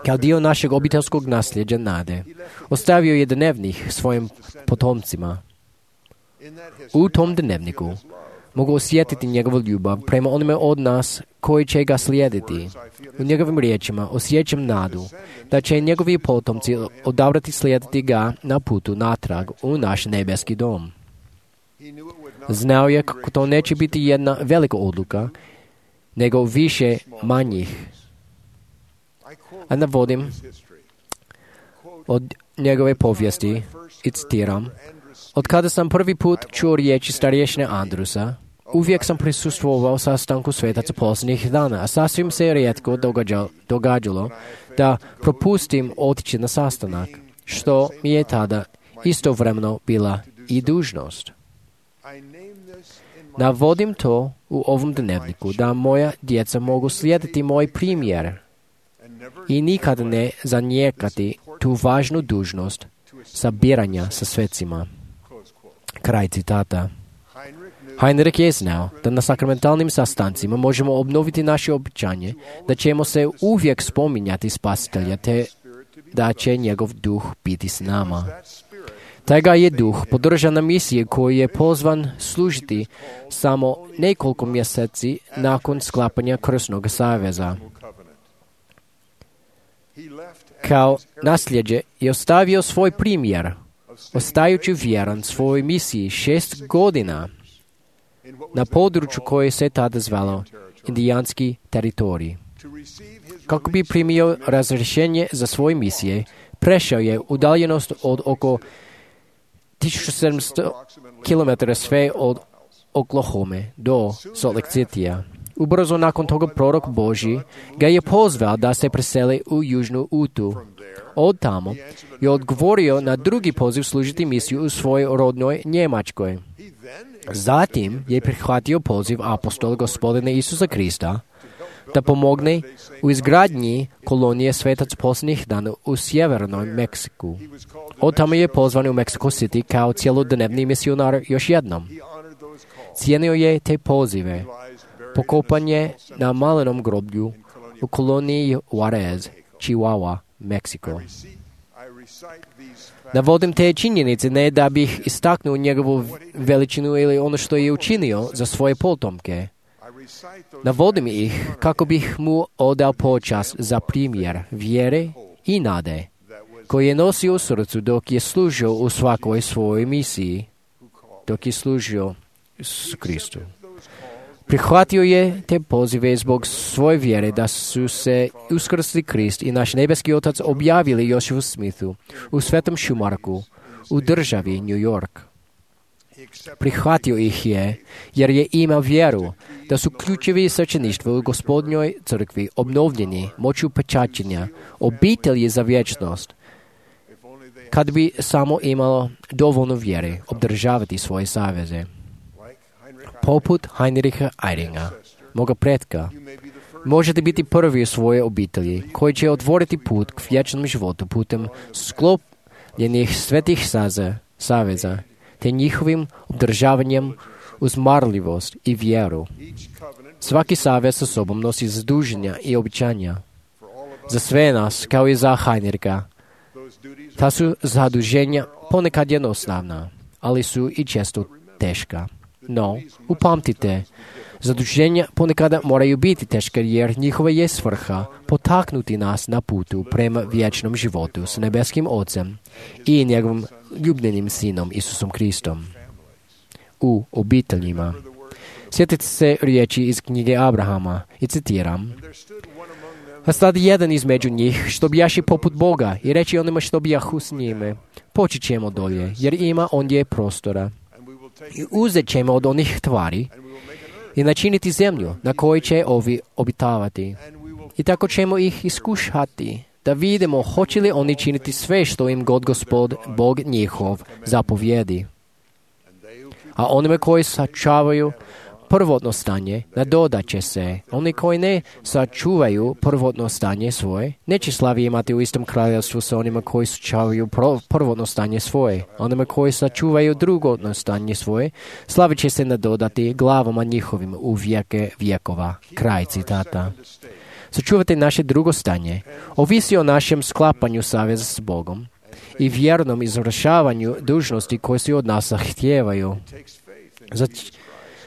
Kao dio našeg obiteljskog nasljeđa nade, ostavio je dnevnih svojim potomcima. U tom dnevniku mogu osjetiti njegovu ljubav prema onome od nas koji će ga slijediti. U njegovim riječima osjećam nadu da će njegovi potomci odabrati slijediti ga na putu natrag u naš nebeski dom. Znao je kako to neće biti jedna velika odluka, nego više manjih. A navodim od njegove povijesti i citiram: od kada sam prvi put čuo riječi starješine Andrusa, uvijek sam prisustvovao sastanku svetaca posljednjih dana, a sasvim se rijetko događalo, događalo da propustim otići na sastanak, što mi je tada istovremeno bila i dužnost. Navodim to u ovom dnevniku da moja djeca mogu slijediti moj primjer i nikada ne zanijekati tu važnu dužnost sabiranja sa svecima. Kraj citata. Heinrich je znao da na sakramentalnim sastancima možemo obnoviti naše običanje, da ćemo se uvijek spominjati Spasitelja, te da će njegov duh biti s nama. Taj ga je duh podržao na misiji koji je pozvan služiti samo nekoliko mjeseci nakon sklapanja Krsnog saveza. Kao nasljeđe je ostavio svoj primjer, ostajući vjeran svojoj misiji šest godina na području koje se tada zvalo indijanski teritorij. Kako bi primio razrješenje za svoje misije, prešao je udaljenost od oko tisuću sedamsto kilometara sve od Oklahome do Salt Lake Citya. Ubrzo nakon toga prorok Božji ga je pozvao da se preseli u Južnu Utu. Od tamo je odgovorio na drugi poziv služiti misiju u svojoj rodnoj Njemačkoj. Zatim je prihvatio poziv apostola Gospodina Isusa Krista da pomogne u izgradnji kolonije Svetac posljednjih dana u sjevernoj Meksiku. Od tamo je pozvan u Mexico City kao cjelodnevni misionar još jednom. Cijenio je te pozive, pokopanje na malenom groblju u koloniji Juarez, Chihuahua, Meksiko. Navodim te činjenice ne da bih istaknuo njegovu veličinu ili ono što je učinio za svoje potomke. Navodim ih kako bih mu odao počast za primjer vjere i nade koji je nosio u srcu dok je služio u svakoj svojoj misiji, dok je služio s Kristu. Prihvatio je te pozive zbog svoje vjere da su se uskrsli Krist i naš nebeski Otac objavili Josephu Smithu u Svetom Šumarku u državi New York. Prihvatio ih je jer je imao vjeru da su ključevi svećeništva u Gospodnjoj crkvi obnovljeni moću pečaćenja, obitelji za vječnost, kad bi samo imalo dovoljno vjere obdržavati svoje saveze. Poput Heinricha Eyringa, moga pretka, možete biti prvi u svojoj obitelji koji će otvoriti put k vječnom životu putem sklopljenih svetih saze, saveza, te njihovim obdržavanjem uz marljivost i vjeru. Svaki savez sa sobom nosi zaduženja i običanja. Za sve nas, kao i za Heinricha, ta su zaduženja ponekad jednostavna, ali su i često teška. No, upamtite, zaduženja ponekada moraju biti teška jer njihova je svrha potaknuti nas na putu prema vječnom životu s nebeskim Ocem i njegovim ljubljenim Sinom Isusom Kristom u obiteljima. Sjetite se riječi iz knjige Abrahama i citiram: a stade jedan između njih što bijaši poput Boga i reći onima što bijahu s njime, poći ćemo dolje jer ima ondje prostora i uzet ćemo od onih tvari i načiniti zemlju na kojoj će ovi obitavati. I tako ćemo ih iskušati, da vidimo hoće li oni činiti sve što im god Gospod, Bog njihov, zapovjedi. A onima koji sačuvaju prvotno stanje, nadodat će se. Oni koji ne sačuvaju prvotno stanje svoje, neće slavi imati u istom kraljevstvu sa onima koji sačuvaju prvotno stanje svoje. Onima koji sačuvaju drugotno stanje svoje, slavi će se nadodati glavama njihovim u vijeke vjekova. Kraj citata. Sačuvati naše drugo stanje ovisi o našem sklapanju saveza s Bogom i vjernom izvršavanju dužnosti koje se od nas zahtijevaju. Za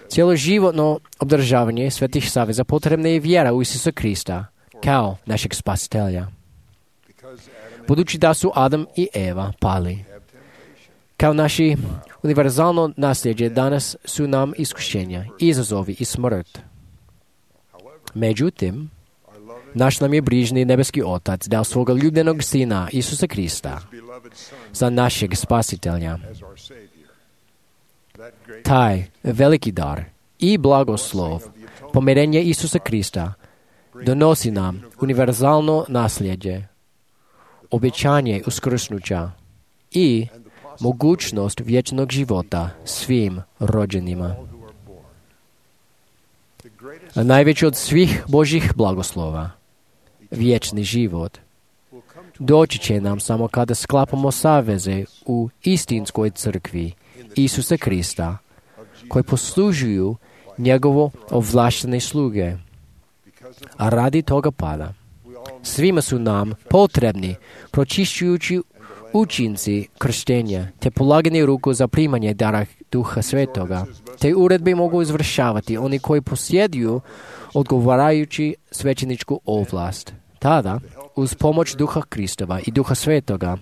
cjeloživotno obdržavanje svetih saveza potrebna je vjera u Isusa Krista kao našeg spasitelja. Budući da su Adam i Eva pali, kao naši univerzalno nasljeđe danas su nam iskušenja, izazovi i smrt. Međutim, naš nam je brižni nebeski Otac dao svoga ljubljenog Sina Isusa Krista za našeg spasitelja. Taj veliki dar i blagoslov pomirenje Isusa Krista donosi nam univerzalno nasljeđe, obećanje uskrsnuća i mogućnost vječnog života svim rođenima. A najveći od svih Božjih blagoslova, vječni život, doći će nam samo kada sklapamo saveze u istinskoj crkvi Isusa Krista, koji poslužuju njegovo ovlaštene sluge. A radi toga pada, svima su nam potrebni pročišćujući učinci krštenja, te polaganje ruku za primanje dara Duha Svetoga. Te uredbe mogu izvršavati oni koji posjeduju odgovarajući svećeničku ovlast. Tada, uz pomoć Duha Kristova i Duha Svetoga,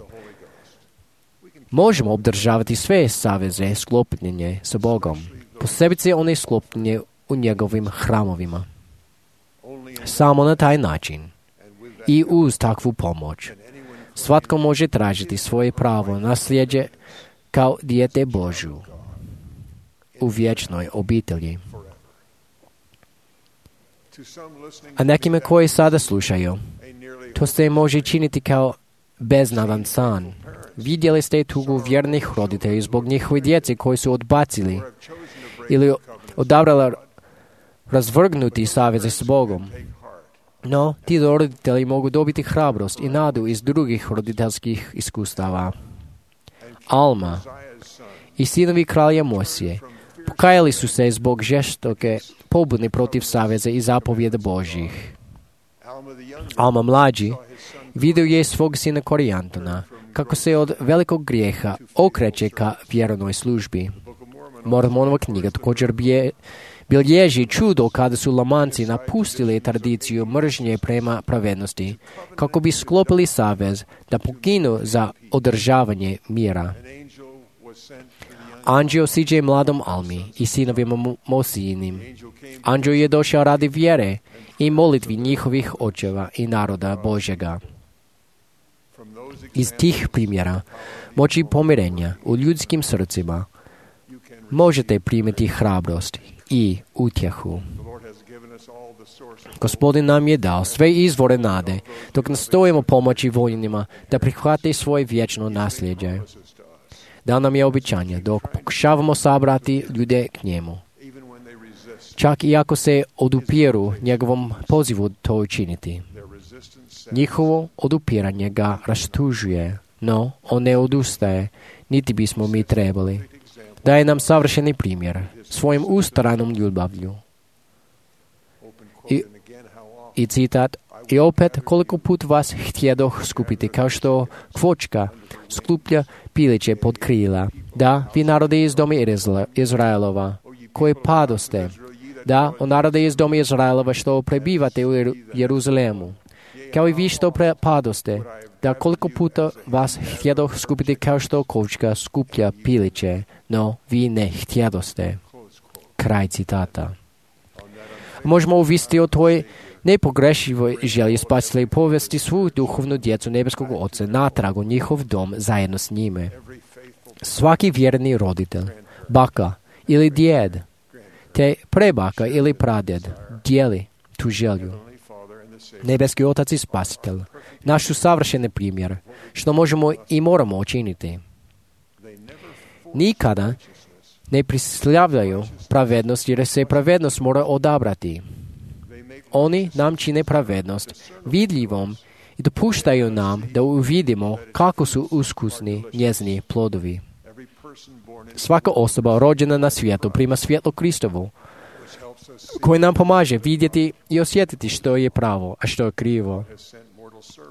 možemo obdržavati sve saveze sklopljenje sa Bogom, posebice one sklopljenje u njegovim hramovima. Samo na taj način i uz takvu pomoć svatko može tražiti svoje pravo nasljeđe kao dijete Božju u vječnoj obitelji. A nekima koji sada slušaju, to se može činiti kao beznadan san. Vidjeli ste tugu vjernih roditelja zbog njihove djece koji su odbacili ili odabrali razvrgnuti saveze s Bogom. No, ti roditelji mogu dobiti hrabrost i nadu iz drugih roditeljskih iskustava. Alma i sinovi kralja Mosije pokajali su se zbog žestoke pobune protiv saveza i zapovjeda Božjih. Alma mlađi vidio je svog sina Korijantona kako se od velikog grijeha okreće ka vjernoj službi. Mormonova knjiga također bije bilježi čudo kada su Lamanci napustili tradiciju mržnje prema pravednosti, kako bi sklopili savez da poginu za održavanje mira. Anđeo siđe mladom Almi i sinovima Mosijinim. Anđeo je došao radi vjere i molitvi njihovih očeva i naroda Božjega. Iz tih primjera moći pomirenja u ljudskim srcima možete primiti hrabrost i utjehu. Gospodin nam je dao sve izvore nade, dok nastojimo pomoći voljenima da prihvate svoje vječno nasljeđe. Dao nam je obećanje dok pokušavamo sabrati ljude k njemu. Čak i ako se odupiru njegovom pozivu to učiniti. Njihovo odupiranje ga rastužuje, no on ne odustaje, niti bismo mi trebali. Daje nam savršeni primjer svojim ustranom ljubavlju. I, i citat, i opet koliko put vas htjedoh skupiti, kao što kvočka skuplja piliće pod krila, da vi narodi iz doma Izraelova, koje padoste. Da, o narode iz doma Izraelova što prebivate u Jeruzalemu. Kao i vi što padoste, da koliko puta vas htjedoh skupiti kao što kovčka skuplja piliće, no vi ne htjedoste. Kraj citata. Možemo uvisiti o toj nepogrešivoj želji spasitelja i povesti svu duhovnu djecu nebeskog Oca natrag u njihov dom zajedno s njime. Svaki vjerni roditelj, baka ili djed, te prebaka ili pradjed dijeli tu želju. Nebeski Otac i Spasitelj, naš su savršeni primjer, što možemo i moramo učiniti. Nikada ne prislavljaju pravednost jer se pravednost mora odabrati. Oni nam čine pravednost vidljivom i dopuštaju nam da uvidimo kako su uskusni njezini plodovi. Svaka osoba rođena na svijetu prima svjetlo Kristovu, koji nam pomaže vidjeti i osjetiti što je pravo, a što je krivo.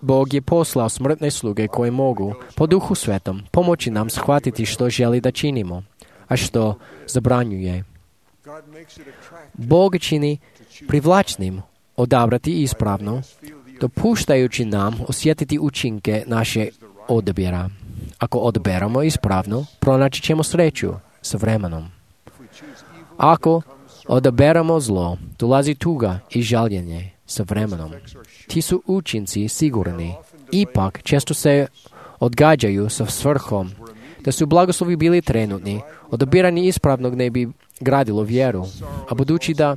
Bog je poslao smrtne sluge koje mogu, po Duhu Svetom, pomoći nam shvatiti što želi da činimo, a što zabranjuje. Bog čini privlačnim odabrati ispravno, dopuštajući nam osjetiti učinke naše odabira. Ako odaberamo ispravno, pronaći ćemo sreću s vremenom. Ako odaberamo zlo, dolazi tuga i žaljenje s vremenom. Ti su učinci sigurni, ipak često se odgađaju sa svrhom. Da su blagoslovi bili trenutni, odabiranje ispravnog ne bi gradilo vjeru, a budući da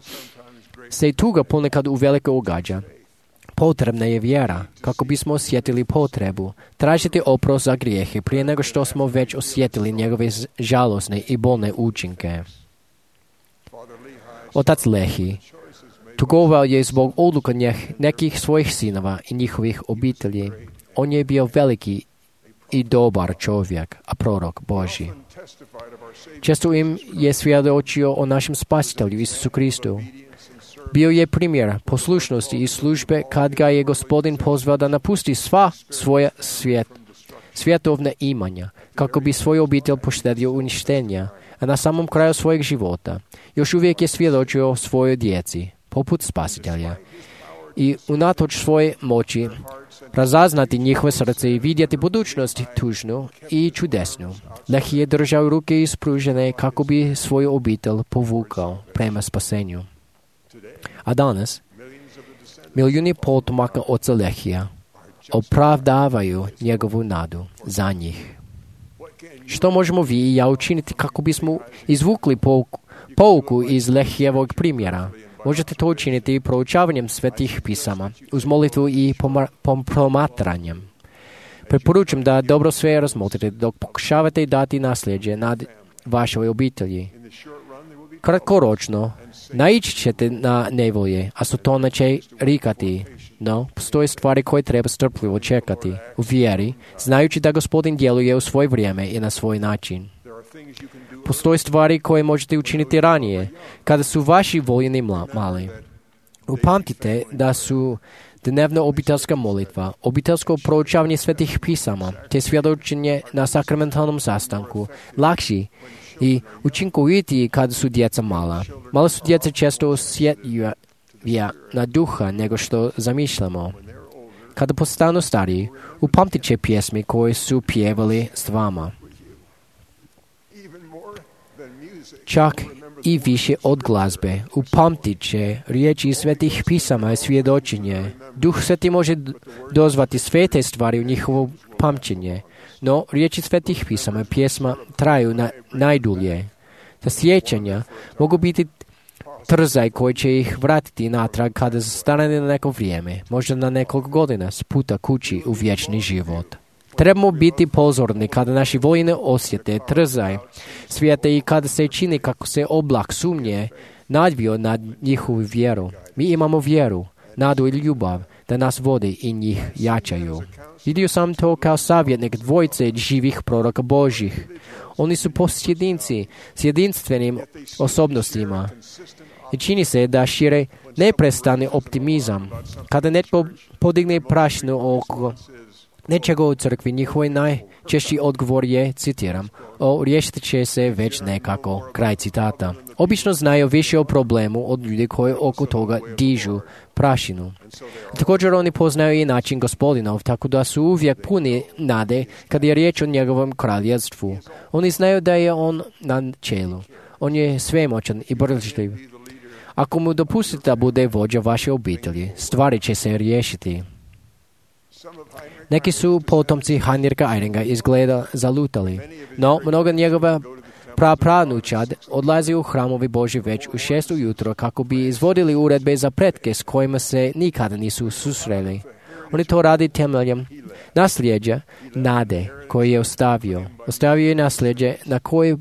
se i tuga ponekad uveliko ugađa, potrebna je vjera kako bismo osjetili potrebu tražiti oprost za grijehe prije nego što smo već osjetili njegove žalosne i bolne učinke. Otac Lehi tugovao je zbog odluka nekih svojih sinova i njihovih obitelji. On je bio veliki i dobar čovjek, a prorok Božji. Često im je svjedočio o našem Spasitelju Isusu Kristu. Bio je primjer poslušnosti i službe kad ga je Gospodin pozvao da napusti sva svoja svijet, svjetovna imanja, kako bi svoju obitelj poštedio uništenja, a na samom kraju svojeg života još uvijek je svjedočio svojoj djeci, poput Spasitelja. I unatoč svoje moći razaznati njihove srce i vidjeti budućnost tužnu i čudesnu. Lehi je držao ruke ispružene kako bi svoju obitelj povukao prema spasenju. A danas, milijuni potomaka oca Lehija opravdavaju njegovu nadu za njih. Što možemo vi i ja učiniti kako bismo izvukli pouku, pouku iz Lehijevog primjera? Možete to učiniti proučavanjem svetih pisama, uz molitvu i promatranjem. Preporučujem da dobro sve razmotrite dok pokušavate dati nasljeđe nad vašoj obitelji. Kratkoročno, naići ćete na nevolje, a Sotona će rikati, no postoje stvari koje treba strpljivo čekati u vjeri, znajući da Gospodin djeluje u svoje vrijeme i na svoj način. Postoje stvari koje možete učiniti ranije, kada su vaši voljeni mali. Upamtite da su dnevna obiteljska molitva, obiteljsko proučavanje svetih pisama, te svjedočenje na sakramentalnom sastanku lakši i učinkovitiji kada su djeca mala. Mala su djeca često osjetljivija na duha nego što zamišljamo. Kada postanu stariji, upamtit će pjesmi koje su pjevali s vama. Čak i više od glazbe, upamtit će riječi svetih pisama i svjedočenje. Duh Sveti može dozvati sve te stvari u njihovo pamćenje, no riječi svetih pisama i pjesma traju na, najdulje. Ta sjećanja mogu biti trzaj koji će ih vratiti natrag kada zastane na neko vrijeme, možda na nekoliko godina, s puta kući u vječni život. Trebamo biti pozorni kada naši voljeni osjete trzaj svijeta i kada se čini kako se oblak sumnje nadvio nad njihovu vjeru. Mi imamo vjeru, nadu i ljubav da nas vode i njih jačaju. Vidio sam to kao savjetnik dvojice živih proroka Božjih. Oni su posjedinci s jedinstvenim osobnostima. I čini se da šire neprestani optimizam. Kada netko podigne prašinu oko nečega u crkvi, njihoj najčešći odgovor je, citiram, o, riješit će se već nekako, kraj citata. Obično znaju više o problemu od ljudi koji oko toga dižu prašinu. Također oni poznaju i način Gospodinov, tako da su uvijek puni nade kad je riječ o njegovom kraljevstvu. Oni znaju da je on na čelu. On je svemoćan i boržljiv. Ako mu dopustite da bude vođa vaše obitelji, stvari će se riješiti. Neki su potomci Heinricha Eyringa izgleda zalutali, no mnoga njegova prapranučad odlazi u hramovi Božji već u šest ujutro kako bi izvodili uredbe za pretke s kojima se nikada nisu susreli. Oni to radi temeljem nasljeđa nade koje je ostavio. Ostavio je nasljeđe na koje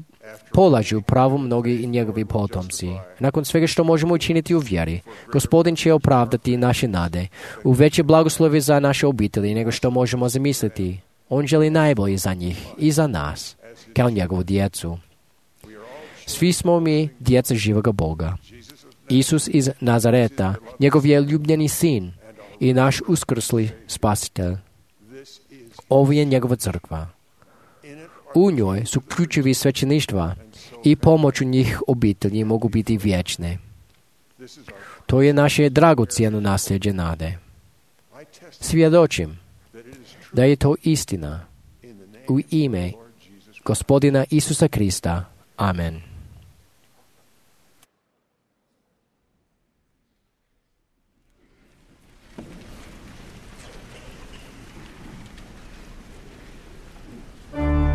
polažu pravo mnogi i njegovi potomci. Nakon svega što možemo učiniti u vjeri, Gospodin će opravdati naše nade u veće blagoslovi za naše obitelji nego što možemo zamisliti. On želi najbolje za njih i za nas, kao njegovu djecu. Svi smo mi djeca živoga Boga. Isus iz Nazareta, njegov je ljubljeni sin i naš uskrsli spasitelj. Ovo je njegova crkva. U njoj su ključevi svećeništva i pomoću njih obitelji mogu biti vječne. To je naše dragocjeno nasljeđe nade. Svjedočim da je to istina u ime Gospodina Isusa Krista. Amen.
Oh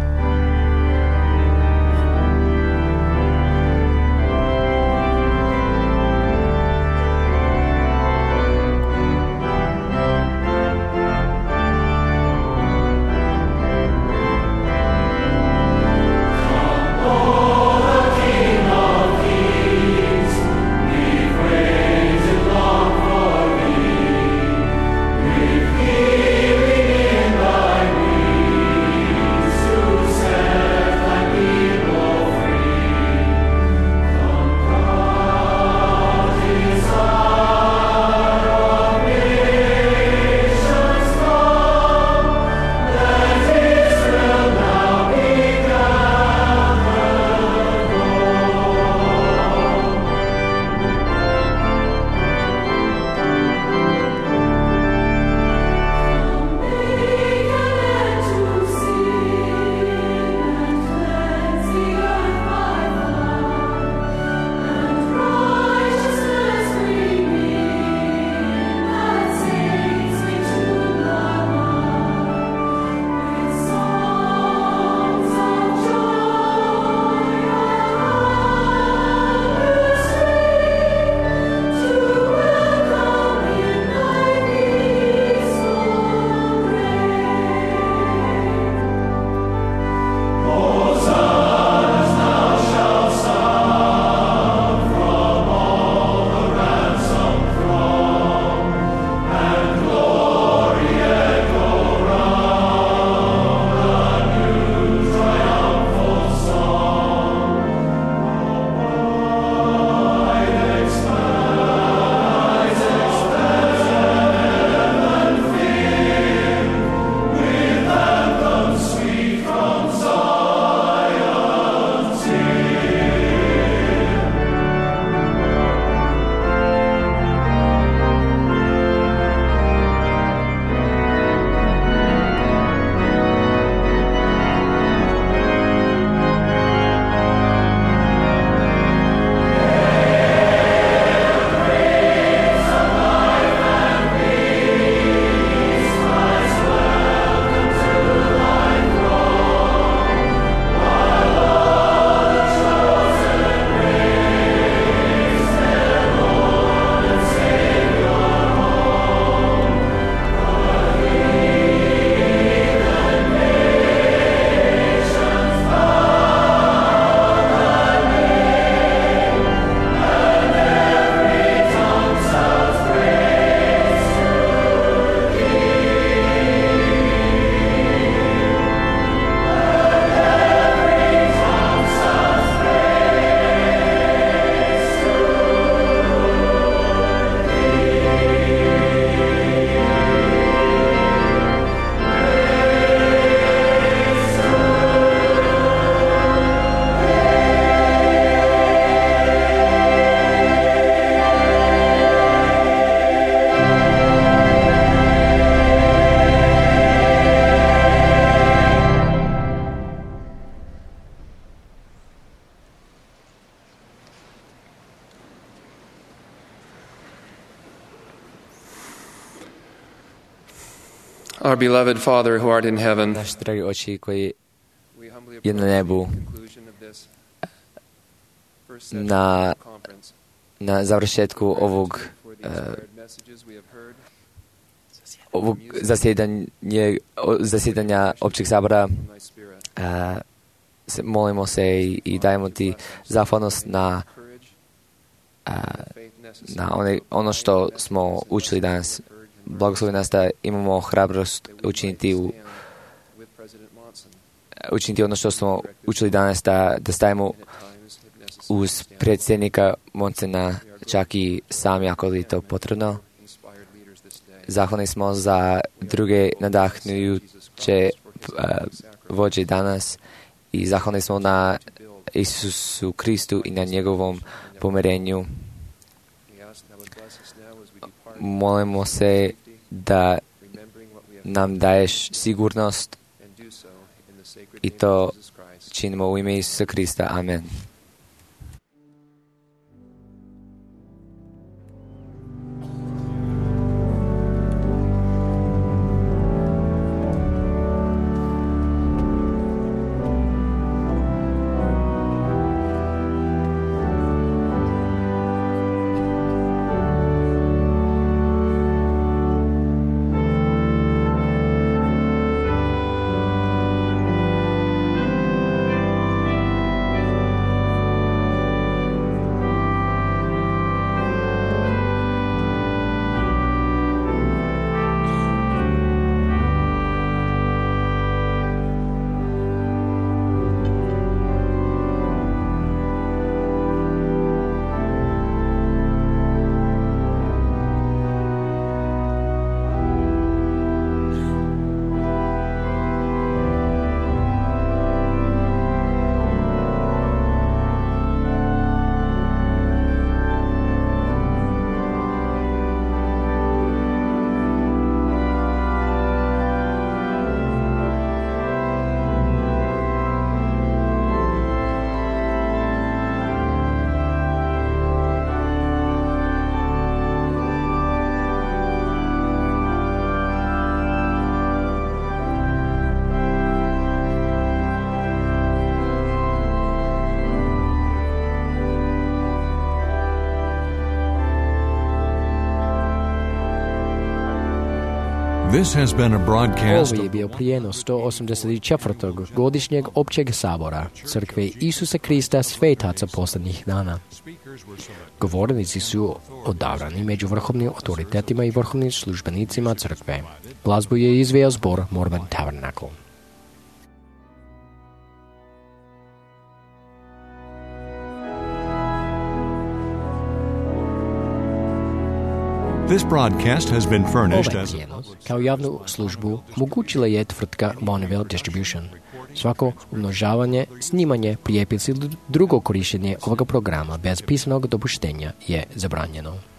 Our beloved Father who art in heaven,
Naš dragi oči koji je na nebu, na, na završetku ovog, uh, ovog zasjedanja, zasjedanja općeg sabora, uh, se, molimo se i, i dajemo ti zahvalnost na, uh, na one, ono što smo učili danas. Blagoslovi nas da imamo hrabrost učiniti u učiniti ono što smo učili danas, da, da stavimo uz predsjednika Monsena čak i sami ako je to potrebno. Zahvalni smo za druge nadahnujuće uh, vođe danas i zahvalni smo na Isusu Kristu i na njegovom pomirenju. Molimo se da nam daješ sigurnost i to činimo u ime Isusa Krista. Amen.
This has been a broadcast
Ovo je bio prijenos sto osamdeset četvrtog godišnjeg općeg sabora Crkve Isusa Krista Svetaca posljednjih dana. Govornici su odabrani među vrhovnim autoritetima i vrhovnim službenicima crkve. Glazbu je izveo zbor Mormon Tabernacle.
This broadcast has been furnished
Ovaj
as
prijenos kao javnu službu mogućila je tvrtka Bonneville Distribution. Svako umnožavanje, snimanje, prijepis ili drugo korištenje ovoga programa bez pisanog dopuštenja je zabranjeno.